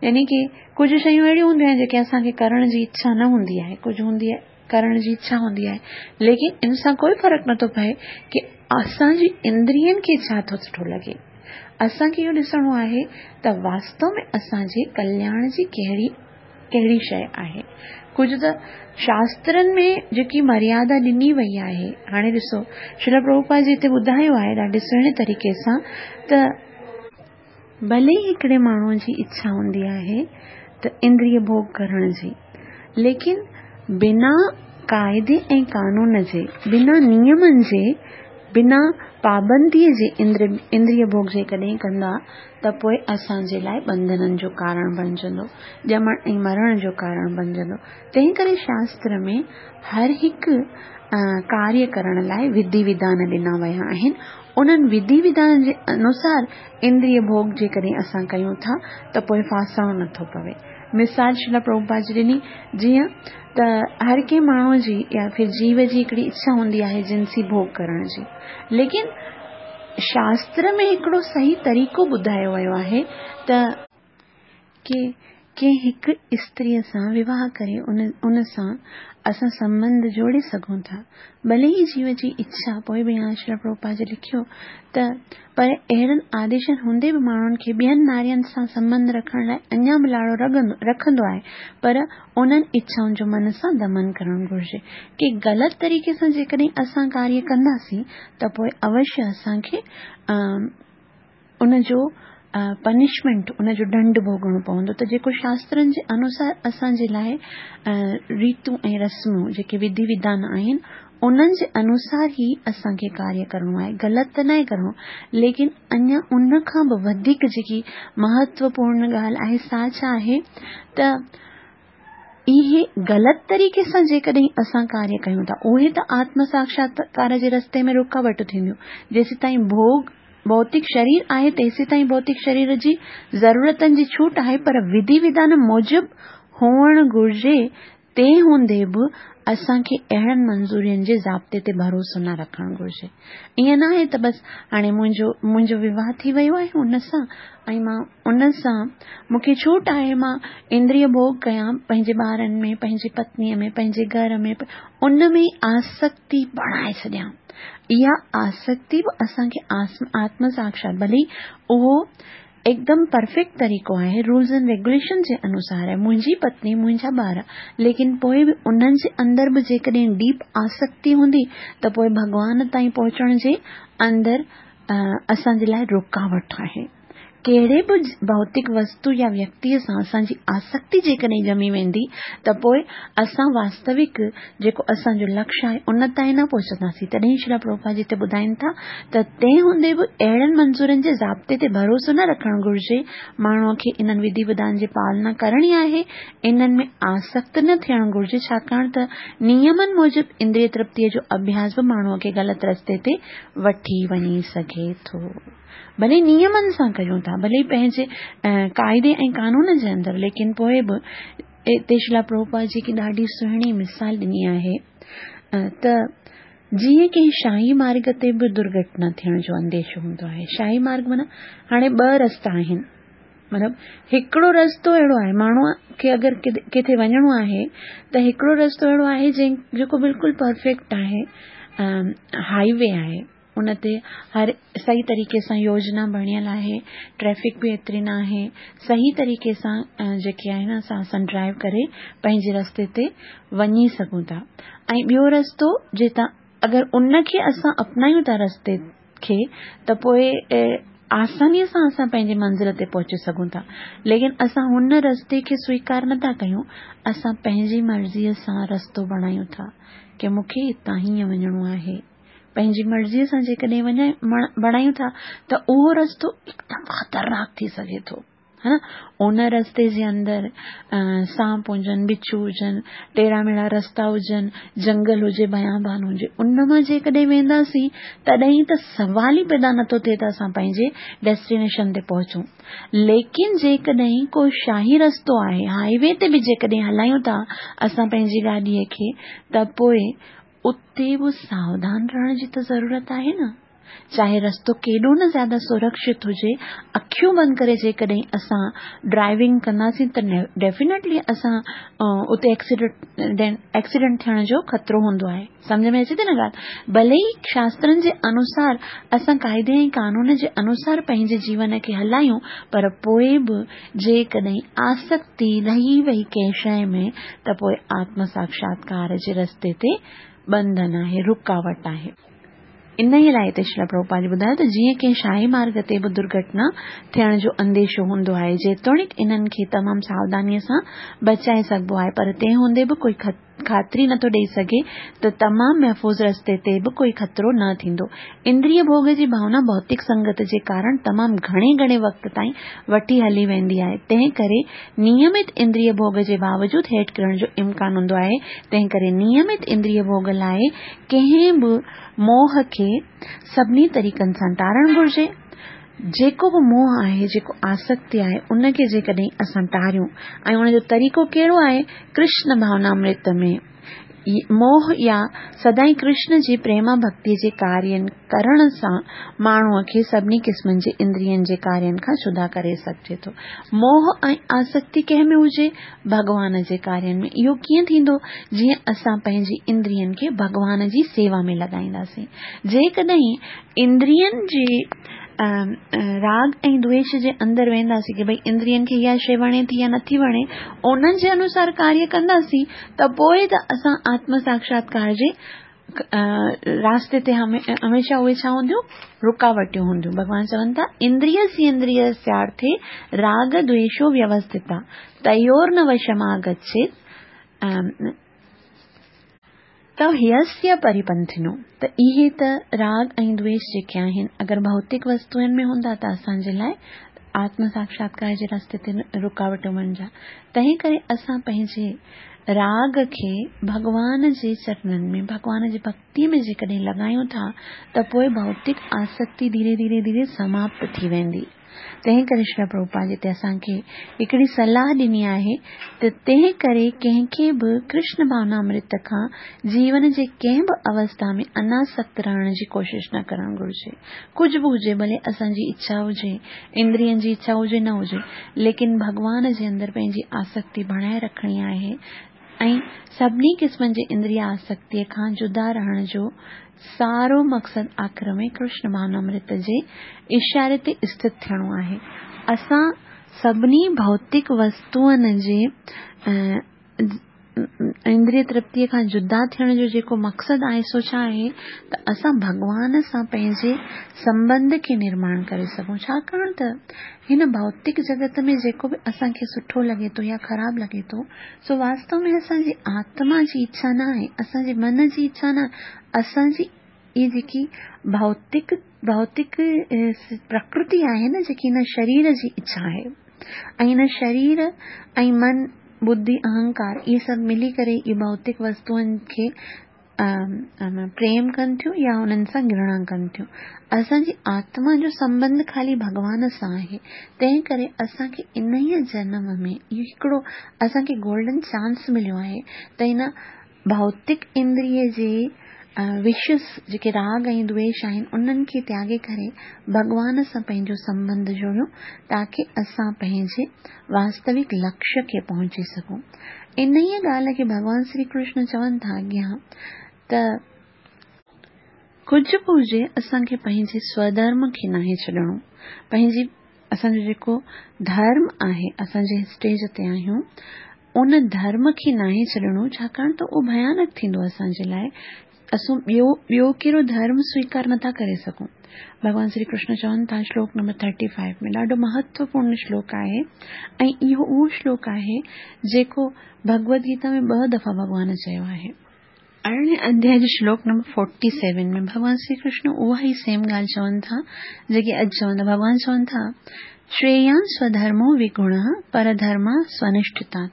يعني ڪي ڪجهه شيون اهڙيون هونديون آهن جيڪي اسان کي ڪرڻ جي اڇا نه هوندي آهي، ڪجهه هوندي آهي ڪرڻ جي اڇا هوندي آهي، ليڪن ان سان ڪوئي فرق نٿو پئي ڪي اسان جي اندرين کي ڇا ٿو سٺو لڳي. اسان کي اهو ڏسڻو آهي ته واستو ۾ اسان جي ڪلياڻ جي ڪهڙي ڪهڙي شيء آهي. ڪجهه ته شاسترن ۾ جيڪي مريادا ڏني وئي آهي، هاڻي ڏسو شريل پرڀوپاد جي هتي ٻڌايو آهي ڏاڍي سهڻي طريقي سان ته ڀلي ئي هڪڙي ماڻهوء جي اڇا هوندي آهي ته اندريه ڀوڳ ڪرڻ جي، ليڪن بنا قاعدي ۽ قانون جي، بنا نيمن جي، بنا پابنديء جي اندريه ڀوڳ جيڪڏهن ڪندا ته پوء اسان جي لاء ٻنڌنن جو ڪارڻ بڻجندو، ڄمڻ ۽ مرڻ جو ڪارڻ بڻجندو. تنهن ڪري شاستر ۾ هر هڪ ڪاريه ڪرڻ لاء وڌي وڌان ڏنا ويا آهن. انهن وڌي وڌانن جي انوسار اندريه ڀوڳ جيڪڏهن اسان ڪيون ٿا ته پوء ڦاسڻو نٿو پوي. مثال شريل پرڀوپاد جي ڏني، جيئن ته هر ڪنهن ماڻهوء جي يا ڦر جيو جي هڪڙي اڇا هوندي آهي جنسي ڀوڳ ڪرڻ جي، ليڪن شاستر ۾ هڪڙو صحيح طريقو ٻڌايو ويو آهي ته ڪي ڪنهن هڪ استريء سان وواهه ڪري ان ان سان اسان سنٻنڌ جوڙي سگهون ٿا. ڀلي ئي جيو جي اڇا، پوء به يا شريل پرڀوپاد جي لکيو ته پر اهڙن آديشن هوندي به ماڻهن کي ٻين نارين سان سنٻنڌ رکڻ لاء اڃا به لاڙو رکندو آهي، پر انهن اڇائن جو من سان دمن ڪرڻ گهرجي. ڪي غلط طريقي سان جيڪڏهن اسان ڪاريه ڪنداسين ته پوء اوشيه اسان کي ان جو پنشمينٽ، ان جو ڏنڊ ڀوڳڻو پوندو. ته جيڪو شاسترن جي انوسار اسان جي لاء ريتون ۽ رسمون جيڪي وڌي وڌان آهن انهن جي انوسار ئي اسان کي ڪاريه ڪرڻو آهي، غلط ته ناهي ڪرڻو. ليڪن اڃا ان کان به وڌيڪ جيڪي مهتوپورڻ ڳالهه آهي سا ڇا آهي ته اهي غلط طريقي سان جيڪڏهن اسان ڪاريه ڪيون ٿا اهي ته آتم ساکشاتڪار جي رستي ۾ رڪاوٽ ٿينديون. جيسيتائين ڀوڳ ڀوتڪ شرير آهي تيسيتائين ڀوتڪ شرير جي ضرورتن جي ڇوٽ آهي، پر وڌي وڌان موجب هئڻ گهرجي. تنهن هوندي به اسان کي اهڙن منظورين جي ضابطي تي ڀروسو نه رکڻ گهرجي. ائين نه آهي ته بس هاڻي منهنجو منهنجو وواهه ٿي ويو آهي ان سان ۽ مان ان سان مون کي ڇوٽ آهي، مان اندريه ڀوڳ ڪيان پنهنجي ٻارن ۾، پنهنجي پتنيء ۾، پنهنجي گهر ۾، ان ۾ آسڪتي بڻائي ڇڏيان. اها آسڪتي به اسان کي آتم ساڪشات، ڀلي اهو هڪدم پرفيڪٽ طريقو آهي، رولز اينڊ ريگوليشن جي انوسار آهي، منهنجي پتني، منهنجا ٻار، ليڪن پوء به انهن جي اندر به جيڪڏهن ڊيپ آسڪتي هوندي ته پوء ڀڳوان تائين پهچڻ جي اندر اسان جي لاء رڪاوٽ آهي. ڪهڙي به ڀوتڪ وستو يا ويڪتيء سان اسان جي آسڪتي جيڪڏهن ڄمي ويندي ته پوء اسان واستوڪ جيڪو اسان جو لڪشيه آهي ان تائين نه پهچنداسين. تڏهن شريلا پرڀوپاد جي هتي ٻڌائين ٿا ته تنهن هوندي به اهڙن منظورن جي ضابطي تي ڀروسو نه رکڻ گهرجي. ماڻهوء کي انهن وڌي وڌان جي پالنا ڪرڻي آهي، انهن ۾ آسڪت نه ٿيڻ گهرجي، ڇاڪاڻ ته نيمن موجب اندريه ترپتيء جو اڀياس به ماڻهوء کي غلط رستي تي وٺي وڃي سگهي ٿو. ڀلي نيمن سان ڪيون ٿا، ڀلي پنهنجي قاعدي ۽ قانون جي اندر، ليڪن پوء به هتي شريلا پرڀوپاد جي هڪ ڏاڍي سهڻي مثال ڏني آهي ته جيئن ڪنهن شاهي مارگ تي به درگهٽنا ٿيڻ جو انديشو هوندو آهي. شاهي مارگ معنيٰ هاڻي ٻه رستا آهن، مطلب هڪڙو رستو اهڙو آهي ماڻهوء کي اگر ڪٿي وڃڻو آهي ته هڪڙو رستو اهڙو آهي جنهن جيڪو بلڪل پرفيڪٽ آهي، هائي وي آهي، ان تي هر صحيح طريقي سان يوجنا بڻيل آهي، ٽريفڪ به ايتري نه آهي، صحيح طريقي سان جيڪي آهن اسان اسان ڊرائيو ڪري پنهنجي رستي تي وڃي سگهون ٿا. ۽ ٻيو رستو جتان اگر ان کي اسان اپنايون ٿا رستي کي ته پوء آسانيء سان اسان پنهنجي منزل تي پهچي سگهون ٿا، ليڪن اسان هن رستي کي سويڪار نٿا ڪيون، اسان پنهنجي مرضيء سان رستو بڻايون ٿا ڪي مون کي هتان هيئن وڃڻو آهي. پنهنجي مرضيء سان جيڪڏهن وڃائي بڻايون ٿا ته اهو رستو هڪدم خطرناڪ ٿي سگهي ٿو، ها نه؟ ان رستي جي اندر سانپ هجن، بڇو هجن، ٽيڙا ميڙا رستا هجن، جنگل هجي، بيابان هجي، ان مان جيڪڏهن وينداسين تڏهن ته سوال ئي پيدا نٿو ٿئي ته اسان پنهنجي ڊيسٽينيشن تي پهچون. ليڪن جيڪڏهن ڪو شاهي رستو آهي، هائي وي تي به جيڪڏهن هلايون ٿا اسان پنهنجي گاڏيء کي ته پوء اتي به ساوڌان رهڻ جي ته ضرورت آهي نه. چاهي رستو ڪيڏو نه زياده سرڪشت هجي، اکيون بند ڪري جيڪڏهن اسان ڊرائيونگ ڪنداسين ته ڊيفينيٽلي اسان اتي ايڪسيڊنٽ ٿيڻ جو خطرو هوندو آهي. سمجهه ۾ اچي ٿي نه ڳالهه؟ ڀلي ئي شاسترن جي انوسار اسان قاعدي ۽ قانون جي انوسار پنهنجي جيون کي هلايون، پر پوء به جيڪڏهن آسڪتي رهي وئي ڪنهن شيء ۾ ته پوء آتم ساڪشاتڪار جي رستي تي ٻنڌن آهي، رڪاوٽ آهي. انهيء لاء هتي شريلا پرڀوپاد جي ٻڌايو ته جيئن ڪنهن شاهي مارگ تي به درگهٽنا ٿيڻ جو انديشو هوندو آهي، جيتوڻيڪ انهن کي تمام ساوڌانيء سان بچائي سگهبو آهي، پر تنهن هوندي به ڪوئي خاطري نٿو ڏيئي سگهي ته تمام محفوظ رستي تي به ڪوئي خطرو نه ٿيندو. اندريه ڀوڳ جي ڀاونا ڀوتڪ سنگت جي ڪارڻ تمام گهڻي گهڻي وقت تائين وٺي هلي ويندي آهي، تنهن ڪري نيمت اندريه ڀوڳ جي باوجود هيٺ ڪرڻ جو امڪان هوندو آهي، تنهن ڪري نيمت اندريه ڀوڳ لاء ڪنهن به موهه کي سڀني طريقن سان ٽارڻ گهرجي. جيڪو به موهه آهي، جيڪو آسڪتي آهي، ان کي جيڪڏهن اسان ٽاريون ۽ ان جو طريقو ڪهڙو آهي؟ ڪرشن ڀاونامرت ۾ موهه يا سدائين ڪرشن جي پريما ڀڳتيء جي ڪارين ڪرڻ سان ماڻهوء کي سڀني قسمن جي اندرين جي ڪارين کان جدا ڪري سگهجي ٿو. موهه ۽ آسڪتي ڪنهن ۾ هجي؟ ڀڳوان جي ڪارين ۾. اهو ڪيئن ٿيندو؟ جيئن اسان پنهنجي اندرين کي ڀڳوان جي سيوا ۾ لڳائينداسين. جيڪڏهن اندرين جي راڳ ۽ دويش جي اندر وينداسين ڪي ڀئي اندرين کي اها شيء وڻي ٿي يا نٿي وڻي، انهن جي انوسار ڪاريه ڪنداسين ته پوء ته اسان آتم ساڪشاتڪار جي راستي تي هميشه اهي ڇا هونديون؟ رڪاوٽيون هونديون. ڀڳوان چون ٿا اندريس اندريسيارٿي راڳ دويشو ويوسٿتا تيور نه وشماگڇيت ته هيسيه پريپنٿنو، ته اهي ته راڳ ۽ دويش جيڪي آهن اگر ڀوتڪ وستوئن ۾ هوندا ته اسان جي لاء آتم ساڪشاتڪار جي رستي تي رڪاوٽون بڻجا. تنهن ڪري اسان پنهنجي راڳ کي ڀڳوان جي چرنن ۾ ڀڳوان جي ڀڳتيء ۾ جيڪڏهن لڳايون ٿا ته پوء ڀوتڪ آسڪتي ڌيري ڌيري ڌيري سماپت ٿي ويندي. تنهن ڪري شريلا پرڀوپاد هتي اسان کي هڪڙي صلاح ڏني آهي ته تنهن ڪري ڪنهن کي به ڪرشن ڀاونامرت کان جيون جي ڪنهن به اوسٿا ۾ اناسڪت رهڻ جي ڪوشش نه ڪرڻ گهرجي. ڪجهه به هجي، ڀلي اسان جي اڇا هجي، اندرين جي اڇا هجي نه هجي، ليڪن ڀڳوان جي اندر پنهنجي آسڪتي بڻائي رکڻي آهي ۽ سڀني قسمن جي اندريه آسڪتيء کان جدا رهڻ جو سارو مقصد آخر ۾ ڪرشن ڀاونامرت جي اشاري تي اسٿت ٿيڻو آهي. اسان سڀني ڀوتڪ وستوئن جي اندريه ترپتيء کان جدا ٿيڻ جو جيڪو مقصد آهي سو ڇا آهي ته اسان ڀڳوان سان پنهنجي سنٻنڌ کي نرماڻ ڪري سگهون. ڇاڪاڻ ته هن ڀوتڪ جڳت ۾ جيڪو به اسان کي سٺو لڳي ٿو يا خراب لڳي ٿو سو واستو ۾ اسان جي آتما جي اڇا نه آهي، اسان جي من جي اڇا نه آهي، اسان جي اهي جيڪي ڀوتڪ ڀوتڪ پرڪرتي آهي نه، جيڪي هن شرير جي اڇا آهي ۽ هن شرير ۽ من، ٻڌي، اهنڪار اهي سڀ ملي ڪري اهي ڀوتڪ وستوئن کي پريم ڪن ٿيون يا انهن سان گهرڻا ڪن ٿيون. اسان جي آتما جو سنٻنڌ خالي ڀڳوان سان آهي، تنهن ڪري اسان کي انهيء جنم ۾ اهو هڪڙو اسان کي گولڊن چانس مليو آهي ته هن ڀوتڪ اندريه جي وشس جيڪي راڳ ۽ دويش آهن انهن کي تياڳي ڪري ڀڳوان سان پنهنجو سنٻنڌ جوڙيون تاڪه اسان پنهنجي واستوڪ لڪشيه کي پهچي سگهون. انهيء ڳالهه کي ڀڳوان شري ڪرشن چون ٿا اڳيان ته ڪجهه به هجي اسان کي پنهنجي سوڌرم کي ناهي ڇڏڻو، پنهنجي اسان جو جيڪو ڌرم آهي، اسان جنهن اسٽيج تي آهيون ان ڌرم کي ناهي ڇڏڻو، ڇاڪاڻ ته اهو ڀيانڪ ٿيندو اسان جي لاء. اسان ٻيو ٻيو ڪهڙو ڌرم سويڪار نٿا ڪري سگهون. ڀڳوان شري ڪرشن چون ٿا شلوڪ نمبر ٿرٽي فائيو ۾ ڏاڍو مهتوپورڻ شلوڪ آهي ۽ اهو اهو شلوڪ آهي جيڪو ڀڳوت گيتا ۾ ٻه دفعا ڀڳوان چيو آهي. ارڙهين اڌياء جي شلوڪ نمبر فورٽي سيون ۾ ڀڳوان شري ڪرشن اها ئي سيم ڳالهه چون ٿا جيڪي اڄ چون ٿا. ڀڳوان چون ٿا شريان سوڌرمو وگڻ پرڌرما سونشٺتات،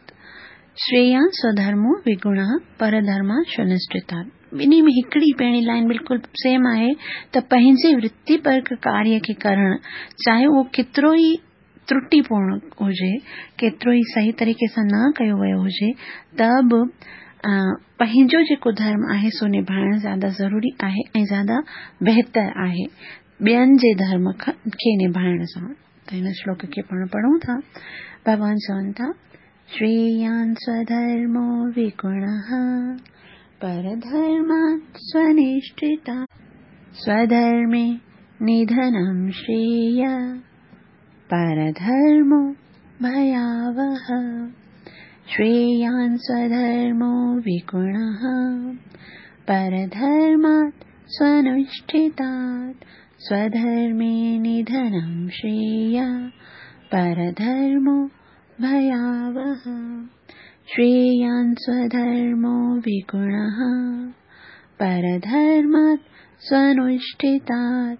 شريان سوڌرمو وگڻ پرڌرما سونشٺتات. ٻنهي ۾ هڪڙي پهرين لائن بلڪل سيم آهي ته پنهنجي ورتي پرڪ ڪاريه کي ڪرڻ چاهي اهو ڪيترو ئي ترٽيپورڻ هجي، ڪيترو ئي صحيح طريقي سان نه ڪيو ويو هجي، ته به پنهنجو جيڪو ڌرم آهي سو نڀائڻ زياده ضروري آهي ۽ زياده بهتر آهي ٻين جي ڌرم کي نڀائڻ سان. ته هن شلوڪ کي پاڻ پڙهون ٿا. ڀڳوان چون ٿا شريان سوڌرمو وگڻ پرڌرمات سونشٺتا سوڌرمي نڌنم شريي پرڌرمو ڀياوه. شريان سوڌرمو وگڻ پرڌرمات سونشٺتات سوڌرمي نڌنم شريي پرڌرمو ڀياوه. شريان سوڌرمو وگڻ پرڌرمات سونشٺتات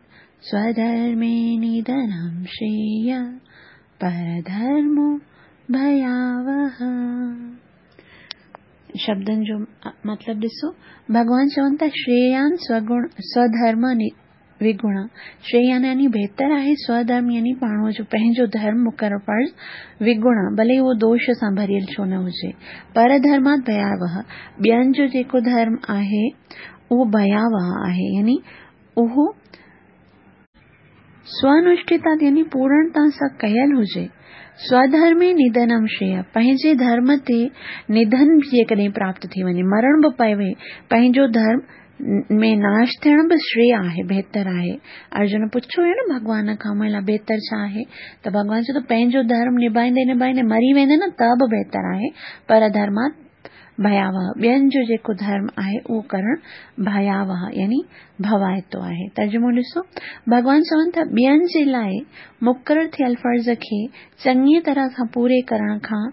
سوڌرمي نڌنم شريي پرڌرمو ڀياوه. شبدن جو مطلب ڏسو. ڀڳوان چون ٿا شريان سوگڻ سوڌرم وگڻ، شريان يعني بهتر آهي، سوڌرم يعني ماڻهوء جو پنهنجو ڌرم مقرر فرض، وگڻ ڀلي اهو دوش سان ڀريل ڇو نه هجي، پرڌرمات ڀياوه ٻين جو جيڪو ڌرم آهي اهو ڀياوه آهي يعني اهو سونشٺتات يعني پورڻتا سان ڪيل هجي. سوڌرمي نڌنم شريي پنهنجي ڌرم تي نڌن به جيڪڏهن پراپت ٿي وڃي، مرڻ به پوي، پنهنجو ڌرم ۾ ناش ٿيڻ به شريي آهي، بهتر آهي. ارجن پڇيو هيو نه ڀڳوان کان منهنجي لاء بهتر ڇا آهي؟ ته ڀڳوان چيو ته پنهنجو ڌرم نڀائيندي نڀائيندي مري ويندي نه ته به بهتر آهي، پر ڌرمات ڀياوه ٻين جو جيڪو ڌرم آهي اهو ڪرڻ ڀياوه يعني ڀوائتو آهي. ترجمو ڏسو، ڀڳوان چون ٿا ٻين جي لاء مقرر ٿيل فرض کي چڱيء طرح سان پوري ڪرڻ کان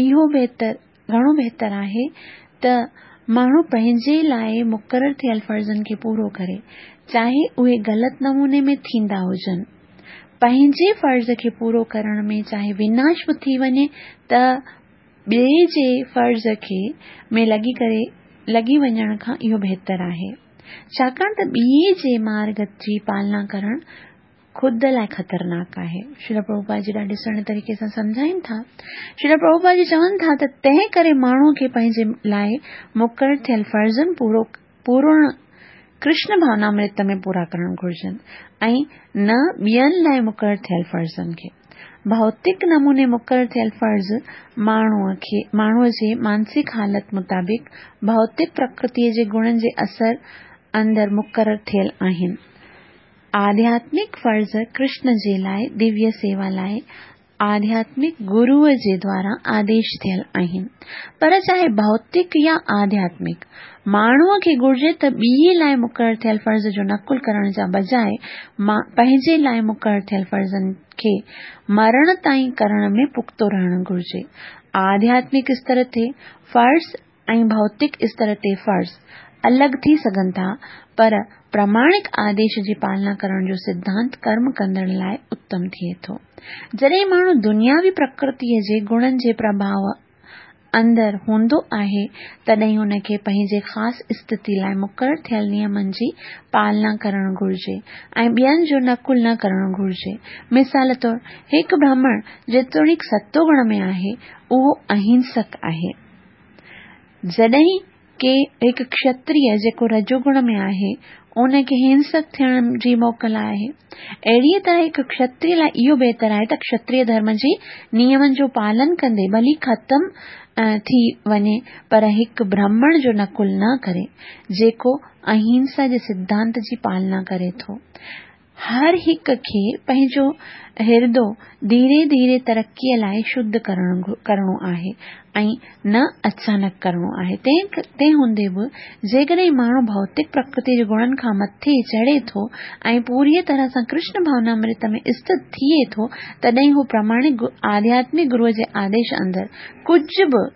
اهو بهتر گهڻو بهتر آهي ته ماڻهو پنهنجي لاء مقرر ٿيل فرضن کي پورو ڪري، چاهي اهي غلط نموني ۾ ٿيندا هجن. پنهنجي فرض کي پورو ڪرڻ ۾ چاهي وناش به ٿي وڃي ته ٻئي جي فرض کي ۾ لڳي ڪري لڳي وڃڻ کان اهو بهتر آهي، ڇاڪاڻ ته ٻئي جي مارڳ جي پالنا ڪرڻ خود لاء خطرناڪ آهي. شريل پرڀوپاد جي ڏاڍي سهڻي طريقي سان سمجهائين ٿا. شريل پرڀوپاد جي چون ٿا ته تنهن ڪري ماڻهوء کي پنهنجي لاء مقرر ٿيل فرضن پورو پورڻ ڪرشن ڀاونامرت ۾ پورا ڪرڻ گهرجن ۽ نه ٻين لاء مقرر ٿيل فرضن کي. ڀوتڪ نموني مقرر ٿيل فرض ماڻهوء کي ماڻهوء جي مانسڪ حالت مطابق ڀوتڪ پرڪرتيء جي گڻن جي اثر اندر مقرر ٿيل آهن. آڌياتمڪ فرض ڪرشن جي لاء دويه سيوا لاء آڌياتمڪ گروء جي دوارا آديش ٿيل آهن. پر چاهي ڀوتڪ يا آڌياتمڪ، ماڻهوء کي گهرجي ته ٻئي لاء مقرر ٿيل فرض جو نقل ڪرڻ جا بجاء پنهنجي لاء مقرر ٿيل فرضن کي مرڻ تائين ڪرڻ ۾ پختو رهڻ گهرجي. آڌياتمڪ استر تي فرض ۽ ڀوتڪ استر تي فرض الڳ ٿي سگهن ٿا، پر پراماڻڪ آديش جي پالنا ڪرڻ جو سڌانت ڪرم ڪندڙ لاء اتم ٿئي ٿو. جڏهن ماڻهو دنياوي پرڪرتيء جي گڻن جي پرڀاء اندر هوندو آهي، تڏهن هن کي پنهنجي خاص اسٿتي لاء مقرر ٿيل نيمن جي پالنا ڪرڻ گهرجي ۽ ٻين جو نقل نه ڪرڻ گهرجي. مثال طور، هڪ برهمڻ جيتوڻيڪ ستوگڻ ۾ آهي، اهو اهنسڪ آهي. جڏهن ڪي هڪ ڪشتريه جيڪو رجوگڻ ۾ آهي، ان کي هنسڪ ٿيڻ جي موڪل آهي. اهڙيء طرح هڪ ڪشتريه لاء اهو بهتر آهي ته ڪشتريه ڌرم جي نيمن جو پالن ڪندي ڀلي ختم ٿي وڃي، پر هڪ برهمڻ جو نقل نه ڪري، جيڪو اهنسا جي سڌانت جي پالنا ڪري ٿو. هر هڪ کي پنهنجو هردو ڌيري ڌيري ترقيء لاء شڌ ڪرڻ ڪرڻو آهي ۽ نه اچانڪ ڪرڻو آهي. تنهن هوندي به جيڪڏهن ماڻهو ڀوتڪ پرڪرتي جي گڻن کان مٿي چڙهي ٿو ۽ پوريء طرح سان ڪرشن ڀاونامرت ۾ اسٿت ٿئي ٿو، تڏهن هو پراماڻڪ آڌياتمڪ گروء جي آديش اندر ڪجهه به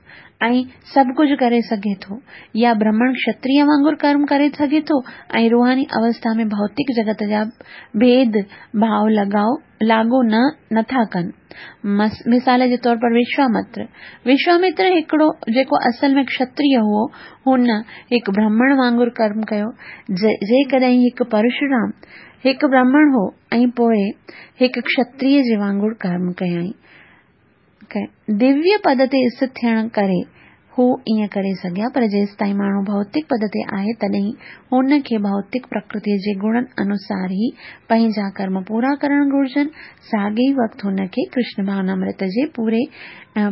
۽ سڀ ڪجهه ڪري سگهي ٿو يا برهمڻ ڪشتريه وانگر ڪرم ڪري سگهي ٿو ۽ روحاني اوسٿا ۾ ڀوتڪ جڳت جا ڀيد ڀاء لڳاء لاڳو نه نٿا ڪن. مثال جي طور پر وشوامتر. وشوامتر هڪڙو جيڪو اصل ۾ ڪشتريه هئو، هن هڪ برهمڻ وانگر ڪرم ڪيو. جيڪڏهن هڪ پرشورام هڪ برهمڻ هو ۽ پوء هڪ ڪشتريه جي وانگر ڪرم ڪيائين. دويه پد تي اسٿت ٿيڻ ڪري هو ائين ڪري سگهيا، پر جيستائين ماڻهو ڀوتڪ پد تي آهي، تڏهن هن کي ڀوتڪ پرڪرتيء جي گڻن انوسار ئي پنهنجا ڪرم پورا ڪرڻ گهرجن. ساڳئي ئي وقت هن کي ڪرشن ڀاونامرت جي پوري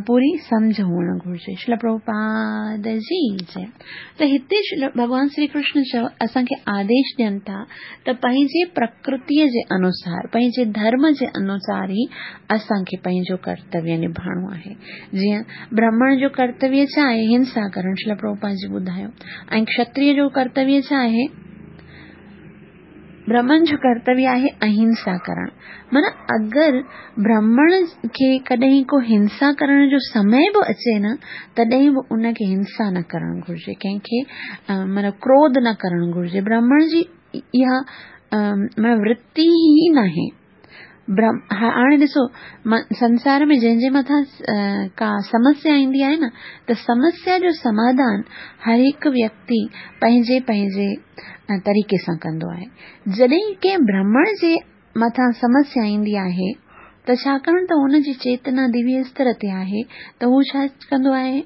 پوري سمجهه هئڻ گهرجي. شريل پرڀوپاد جي جئي. ته هتي ڀڳوان شري ڪرشن چيو اسان کي آديش ڏين ٿا ته پنهنجي پرڪرتيء جي انوسار، پنهنجي ڌرم جي انوسار ئي اسان کي پنهنجو ڪرتويه نڀائڻو آهي. جيئن برهمڻ جو ڪرتويه ڇا آهي؟ هنسا ڪرڻ، شريل پرڀوپاد جي ٻڌايو. ۽ ڪشتريه جو ڪرتويه ڇا آهي؟ برهمڻ جو ڪرتويه آهي اهنسا ڪرڻ. معنيٰ اگر برهمڻ کي ڪڏهن ڪو هنسا ڪرڻ جو سمي به اچي نه، تڏهن به ان کي هنسا نه ڪرڻ گهرجي، ڪنهن کي معنيٰ ڪروڌ نه ڪرڻ گهرجي. برهمڻ جي اها معنيٰ ورتي ئي ناهي. هاڻي ڏسو، سنسار ۾ جنهن جي مٿان ڪا سمسيا ايندي آهي نه، ته سمسيا جو سماڌان هر هڪ ويڪتي پنهنجي پنهنجي طريقي سان ڪندو آهي. جڏهن ڪنهن برهمڻ جي مٿان سمسيا ايندي آهي ته ڇاڪاڻ ته هن جي چيتنا دويه استر تي آهي، ته هو ڇا ڪندو آهي؟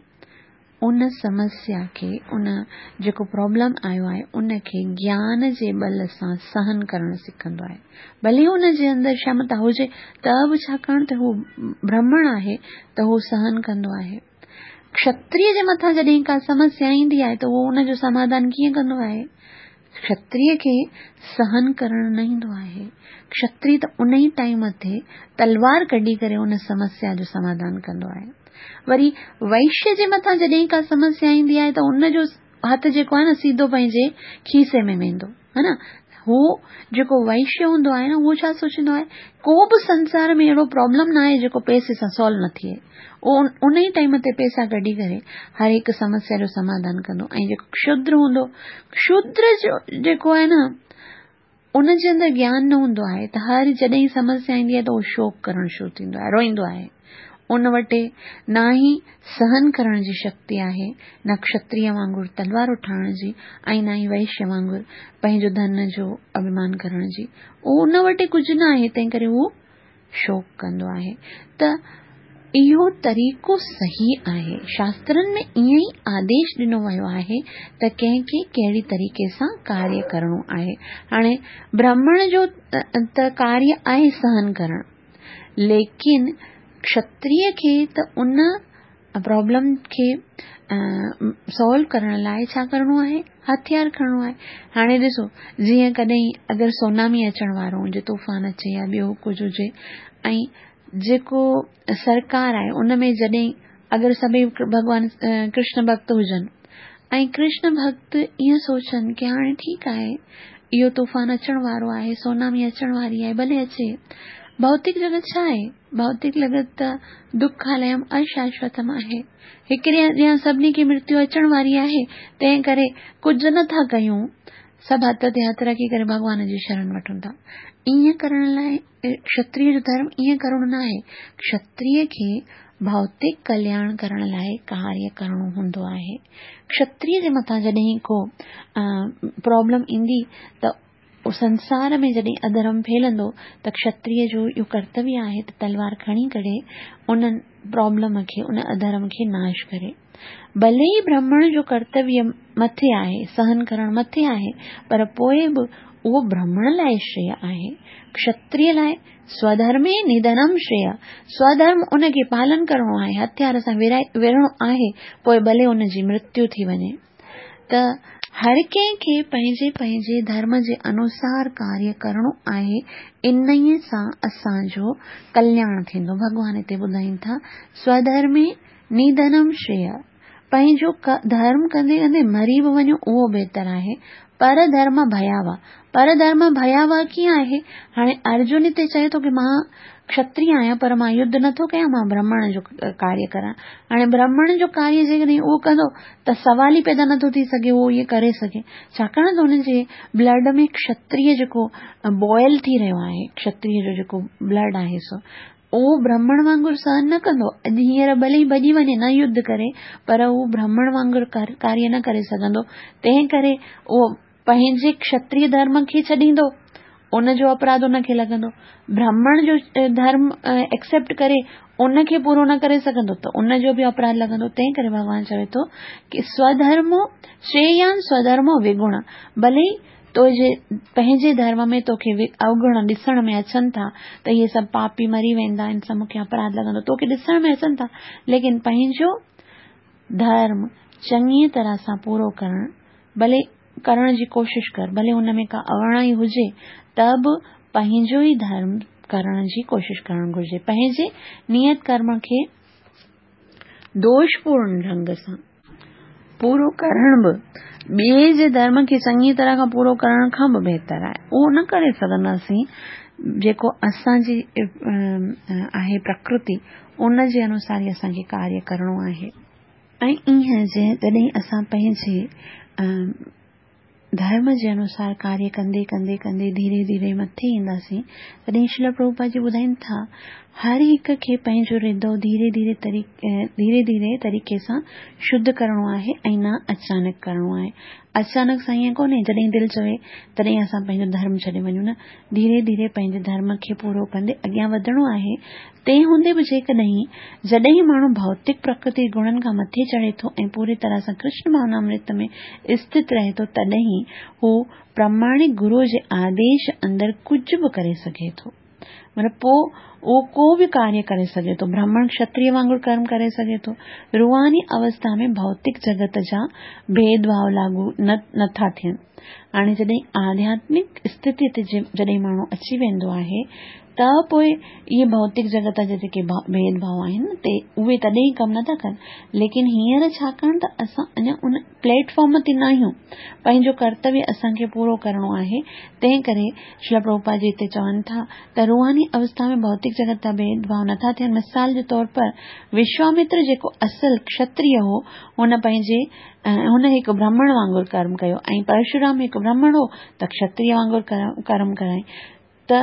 ان سمسيا کي، ان جيڪو پرابلم آيو آهي، ان کي گيان جي ٻل سان سهن ڪرڻ سکندو آهي. ڀلي هن جي اندر ڪشمتا هجي ته به ڇاڪاڻ ته هو برهمڻ آهي ته هو سهن ڪندو آهي. ڪشتريه جي مٿان جڏهن ڪا سمسيا ايندي آهي ته هو ان جو سماڌان ڪيئن ڪندو آهي؟ ڪشتريه کي سهن ڪرڻ نه ايندو آهي. ڪشتريه ته ان ئي ٽائيم تي تلوار ڪڍي ڪري ان سمسيا جو سماڌان ڪندو آهي. وري وئشيه جي مٿان جڏهن ڪا سمسيا ايندي آهي ته ان جو هٿ جيڪو آهي نه سيڌو پنهنجي کيسي ۾ ويندو ها نه. هو جيڪو وئشيه هوندو آهي نه، اهو ڇا سوچيندو آهي؟ ڪو به سنسار ۾ اهڙو پرابلم نه آهي جيڪو پئسي سان سالو نه ٿئي. اهو ان ئي ٽائيم تي پئسا ڪڍي ڪري هر هڪ سمسيا جو سماڌان ڪندو. ۽ جيڪو شودر هوندو، شودر جو جيڪو آهي نه، ان جي اندر گيان نه هوندو آهي ته هر جڏهن سمسيا ايندي آهي ته اهو شوڪ ڪرڻ شروع ٿيندو آهي، روئيندو آهي. ان وٽ نه ئي سهن ڪرڻ جي شڪتي آهي، نه ڪشتريه وانگر تلوار اٺائڻ جي ۽ نه ئي وئشيه وانگر پنهنجو ڌن جو اڀمان ڪرڻ جي. ان وٽ ڪجهه نه آهي، تنهن ڪري هو شوڪ ڪندو آهي. ته اهو طريقو صحيح آهي. شاسترن ۾ ائين ئي آديش ڏنو ويو آهي ته ڪنهن کي ڪهڙي طريقي سان ڪاريه ڪرڻو آهي. هاڻي برهمڻ جو ته ڪاريه آهي سهن ڪرڻ، ليڪن ڪشتريه کي ته ان پرابلم کي سالو ڪرڻ لاءِ ڇا ڪرڻو آهي؟ هٿيار کڻڻو آهي. هاڻي ڏسو، جيئن ڪڏهن اگر سونامي اچڻ وارو هجي، طوفان اچي يا ٻيو ڪجهه هجي، ۽ جيڪو سرڪار آهي ان ۾ جڏهن اگر سڀئي ڀڳوان ڪرشن ڀڪت هجن ۽ ڪرشن ڀڪت ائين سوچن ڪه هاڻي ٺيڪ آهي، اهو طوفان اچڻ وارو آهي، سونامي اچڻ واري آهي، ڀلي اچي. ڀوتڪ جڳت ڇا آهي؟ ڀوتڪ جڳت ته دکاليم اشاشوتم آهي. هڪڙي ڏينهن سڀني کي مرتيو اچڻ واري آهي، تنهن ڪري ڪجهه نٿا ڪيون، سڀ هٿ تي هٿ رکي ڪري ڀڳوان جي شرڻ وٺون ٿا. ائين ڪرڻ لاءِ ڪشتريه جو ڌرم ائين ڪرڻو نه آهي. ڪشتريه کي ڀوتڪ ڪلياڻ ڪرڻ لاءِ ڪاريه ڪرڻو هوندو آهي. ڪشتريه جي مٿان جڏهن ڪو پرابلم ايندي ته سنسار ۾ جڏهن اڌرم ڦهلندو ته ڪشتريه جو اهو ڪرتويه آهي ته تلوار کڻي ڪري ان پرابلم کي، ان اڌرم کي ناش ڪري. ڀلي ئي برهمڻ جو ڪرتويه مٿي آهي، سهن ڪرڻ مٿي آهي، پر پوءِ به اهو برهمڻ لاءِ شريه آهي. ڪشتريه لاءِ سوڌرمي نڌنم شريه، سوڌرم ان کي پالن ڪرڻو آهي، هٿيار سان وڙهڻو آهي، پوءِ ڀلي ان جي مرتيو ٿي وڃي. ته هر ڪنهن کي پنهنجي پنهنجي ڌرم جي انوسار ڪاريه ڪرڻو آهي، انهيءَ سان اسان جو ڪلياڻ ٿيندو. ڀڳوان هتي ٻڌائين ٿا سوڌرمي نڌنم شريه، پنهنجو ڌرم ڪندي ڪندي مري به وڃو اهو بهتر آهي. پر ڌرم ڀياوهه، پر ڌرم ڀياوهه ڪيئن آهي؟ هاڻي ارجن هتي چئي ٿو ڪه مان ڪشتريه آهيان پر مان يڌ نٿو ڪيان، مان برهمڻ جو ڪاريه ڪران. هاڻي برهمڻ جو ڪاريه جيڪڏهن اهو ڪندو ته سوال ئي پيدا نٿو ٿي سگهي اهو ائين ڪري سگهي، ڇاڪاڻ ته هن جي بلڊ ۾ ڪشتريه جيڪو بوائل ٿي رهيو آهي، ڪشتريه جو جيڪو بلڊ آهي سو اهو برهمڻ وانگر سهن نه ڪندو. اڄ هينئر ڀلي ئي ڀڄي وڃي، نه يڌ ڪري، پر اهو برهمڻ وانگر ڪاريه نه ڪري سگهندو. تنهن ڪري اهو پنهنجي ڪشتريه ڌرم کي ڇڏيندو، ان جو اپراڌ ان کي لڳندو. برهمڻ جو ڌرم ايڪسيپٽ ڪري ان کي پورو نه ڪري سگهندو ته ان جو به اپراڌ لڳندو. تنهن ڪري ڀڳوان چوي ٿو ڪه سوڌرمو شريان سوڌرمو وگڻ، ڀلي تنهنجي پنهنجي ڌرم ۾ توکي اوگڻ ڏسڻ ۾ اچن ٿا ته اهي سڀ پاپي مري ويندا، ان سان مون کي اپراڌ لڳندو، توکي ڏسڻ ۾ اچن ٿا، ليڪن پنهنجو ڌرم چڱيءَ طرح سان پورو ڪرڻ ڀلي ڪرڻ جي ڪوشش ڪر، ڀلي هن ۾ ڪا اوڻائي هجي ته به پنهنجو ئي ڌرم ڪرڻ جي ڪوشش ڪرڻ گهرجي. پنهنجي نيت ڪرم کي دوشپورڻ ڍنگ سان پورو ڪرڻ به ٻئي جي ڌرم کي چڱي طرح کان پورو ڪرڻ کان به بهتر آهي. اهو نه ڪري سگهنداسين جيڪو اسان جي آهي پرڪرتي، ان جي انوسار ئي اسان کي ڪاريه ڪرڻو آهي. ۽ ائين جڏهن اسان پنهنجي ڌرم جي انوسار ڪاريه ڪندي ڪندي ڪندي ڌيري ڌيري مٿي اينداسين، تڏهن شريل پرڀوپاد جي ٻڌائين ٿا هر هڪ کي پنهنجو هردي ڌيري ڌيري ڌيري ڌيري طريقي سان شڌ ڪرڻو آهي ۽ نه اچانڪ ڪرڻو آهي. اچانڪ سان ائين ڪونهي جڏهن دل چوي تڏهن اسان پنهنجو ڌرم ڇڏي وڃون، نه، ڌيري ڌيري پنهنجي ڌرم کي پورو ڪندي اڳيان وڌڻو آهي. تنهن هوندي به جيڪڏهن جڏهن ماڻهو ڀوتڪ پرڪرتي گڻن کان مٿي چڙهي ٿو ۽ پوري طرح سان ڪرشن ڀاونامرت ۾ اسٿت رهي ٿو، تڏهن هو پراماڻڪ گروءَ جي آديش اندر ڪجهه به ڪري سگهي ٿو. مطلب پوءِ اهو ڪو به ڪاريه ڪري سگهي ٿو، برهمڻ ڪشتريه وانگر ڪرم ڪري سگهي ٿو. روحاني اوسٿا ۾ ڀوتڪ جڳت جا ڀيد ڀاو لاڳو نه نٿا ٿين. هاڻي جڏهن آڌياتمڪ اسٿتي تي جڏهن ماڻهو اچي ويندو آهي ته پوءِ اهي ڀوتڪ جڳت جا جيڪي ڀيد ڀاو آهن تي اهي تڏهن ڪم نٿا ڪن. ليڪن هينئر ڇاڪاڻ ته اسان اڃا ان پليٽ فارم تي نه آهيون، پنهنجو ڪرتويه اسان کي پورو ڪرڻو آهي. تنهن ڪري شريل پرڀوپاد جي هتي چون ٿا ته روحاني اوسٿا ۾ ڀوتڪ جڳت جا ڀيد ڀاو نٿا ٿين. مثال جي طور پر وشوامتر جيڪو اصل ڪشتريه هو، هن پنهنجي هن هڪ برهمڻ وانگر ڪرم ڪيو ۽ پرشورام هڪ برهمڻ هو ته ڪشتريه وانگر ڪرم ڪرائين. ته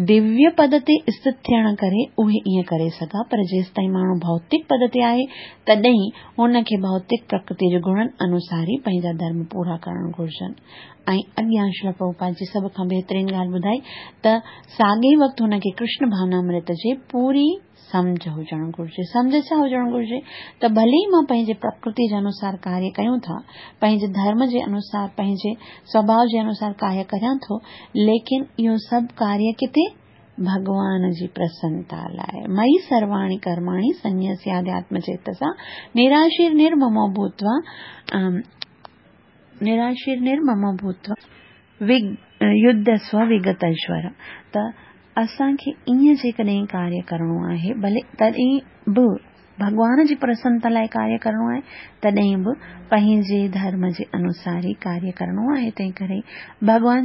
دويه پد تي اسٿت ٿيڻ ڪري اهي ائين ڪري سگها، پر جيستائين ماڻهو ڀوتڪ پد تي آهي تڏهن هن کي ڀوتڪ پرڪرتي جي گڻن انوسار ئي پنهنجا ڌرم پورا ڪرڻ گهرجن. ۽ اڳيان شريل پرڀوپاد جي سڀ کان بهترين ڳالهه ٻڌائي ته ساڳئي وقت هن کي ڪرشن ڀاونامرت جي پوري سمجهه هجڻ گهرجي. سمجهه ڇا هجڻ گهرجي ته ڀلي ئي مان پنهنجي پرڪرتي جي انوسار ڪاريه ڪيون ٿا، پنهنجي ڌرم جي انوسار، پنهنجي سوڀاء جي انوسار ڪاريه ڪريان ٿو، ليڪن اهو سڀ ڪاريه ڪٿي؟ ڀڳوان جي پرسنتا لاءِ. مئي سرواڻي ڪرماڻي سنياسياڌياتم چيتسا نراشير نرممو ڀوتوا نراشير نرممو ڀوتوا يڌسو وگتيشور. ته اسان کي ائين جيڪڏهن ڪاريه ڪرڻو آهي، ڀلي تڏهن به ڀڳوان جي پرسنتا لاءِ ڪاريه ڪرڻو آهي، تڏهن به پنهنجي ڌرم جي انوسار ئي ڪاريه ڪرڻو آهي. تنهن ڪري ڀڳوان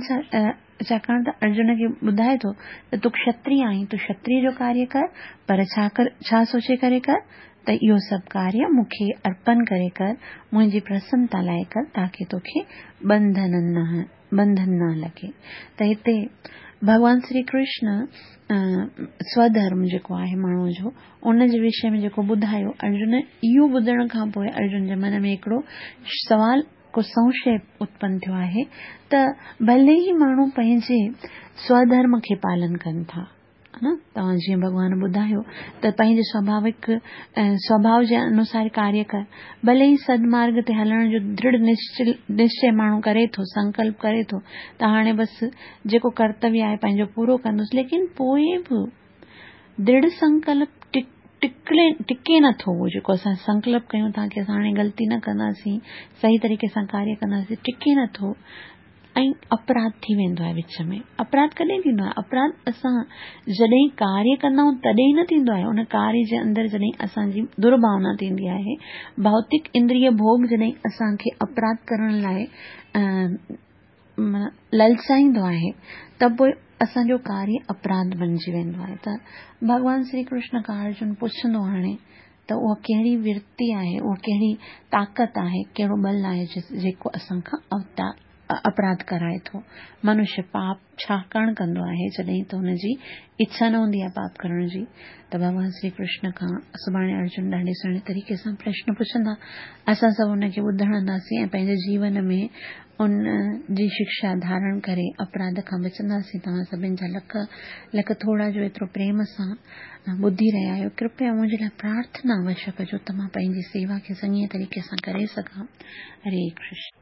ڇاڪاڻ ته ارجن کي ٻڌائي ٿو ته تون ڪشتريه آهين، تون ڪشتريه جو ڪاريه ڪر، پر ڇا ڪر، ڇا سوچي ڪري ڪر ته اهو سڀ ڪاريه مون کي ارپڻ ڪري ڪر، منهنجي پرسنتا لاءِ ڪر، تاڪه توکي ٻنڌن نه ٻنڌن نه لڳي. ته هتي ڀڳوان شري ڪرشن سوڌرم جيڪو آهي ماڻهوءَ جو، ان جي وشي ۾ جيڪو ٻڌايو، ارجن اهو ٻڌڻ کان پوءِ ارجن جي من ۾ هڪڙو سوال ڪو سنشي اتپن ٿيو آهي ته ڀلي ئي ماڻهو پنهنجي سوڌرم کي پالن ڪن ٿا، نه توهان جيئن ڀڳوان ٻڌايو ته پنهنجي سوڀاوڪ سوڀاءُ جي انوسار ڪاريه ڪر، ڀلي ئي سدمارگ تي هلڻ جو درڙهه نشچي ماڻهو ڪري ٿو، سنڪلپ ڪري ٿو ته هاڻي بس جيڪو ڪرتويه آهي پنهنجو پورو ڪندس، ليڪن پوءِ به درڙهه سنڪلپ ٽڪلي ٽڪي نٿو. اهو جيڪو اسان سنڪلپ ڪيون ٿا ڪه اسان هاڻي غلطي نه ڪنداسين، صحيح طريقي سان ڪاريه ڪنداسين، ٽڪي نٿو ۽ اپراڌ ٿي ويندو آهي وچ ۾. اپراڌ ڪڏهن ٿيندو آهي؟ اپراڌ اسان جڏهن ڪاريه ڪندا آهيون تڏهن نه ٿيندو آهي، ان ڪاريه جي اندر جڏهن اسان جي درڀاونا ٿيندي آهي، ڀوتڪ اندريه ڀوڳ جڏهن اسان کي اپراڌ ڪرڻ لاءِ للچائيندو آهي ته پوءِ اسان جو ڪاريه اپراڌ بڻجي ويندو آهي. ته ڀڳوان شري ڪرشن کان ارجن پڇندو هاڻي ته اها ڪهڙي ورتي آهي، اها ڪهڙي طاقت آهي، ڪهڙو ٻل آهي جيڪو اسان کان اوتار اپراڌ ڪرائي ٿو. منشيه پاپ ڇاڪاڻ ڪندو آهي جڏهن ته هن جي اڇا نه هوندي آهي پاپ ڪرڻ جي. ته ڀڳوان شري ڪرشن کان سڀاڻي ارجن ڏاڍي سهڻي طريقي سان پرشن پڇندا، اسان سڀ ان کي ٻڌنداسين ۽ پنهنجي جيون ۾ ان جي شڪشا ڌارڻ ڪري اپراڌ کان بچنداسين. توهان سڀني جا لک لک ٿورا جو ايترو پريم سان ٻڌي رهيا آهيو. ڪرپيا منهنجي لاءِ پرارٿنا اوشيه ڪجو ته مان پنهنجي سيوا کي چڱي طريقي سان ڪري سگهان. هري ڪرشن.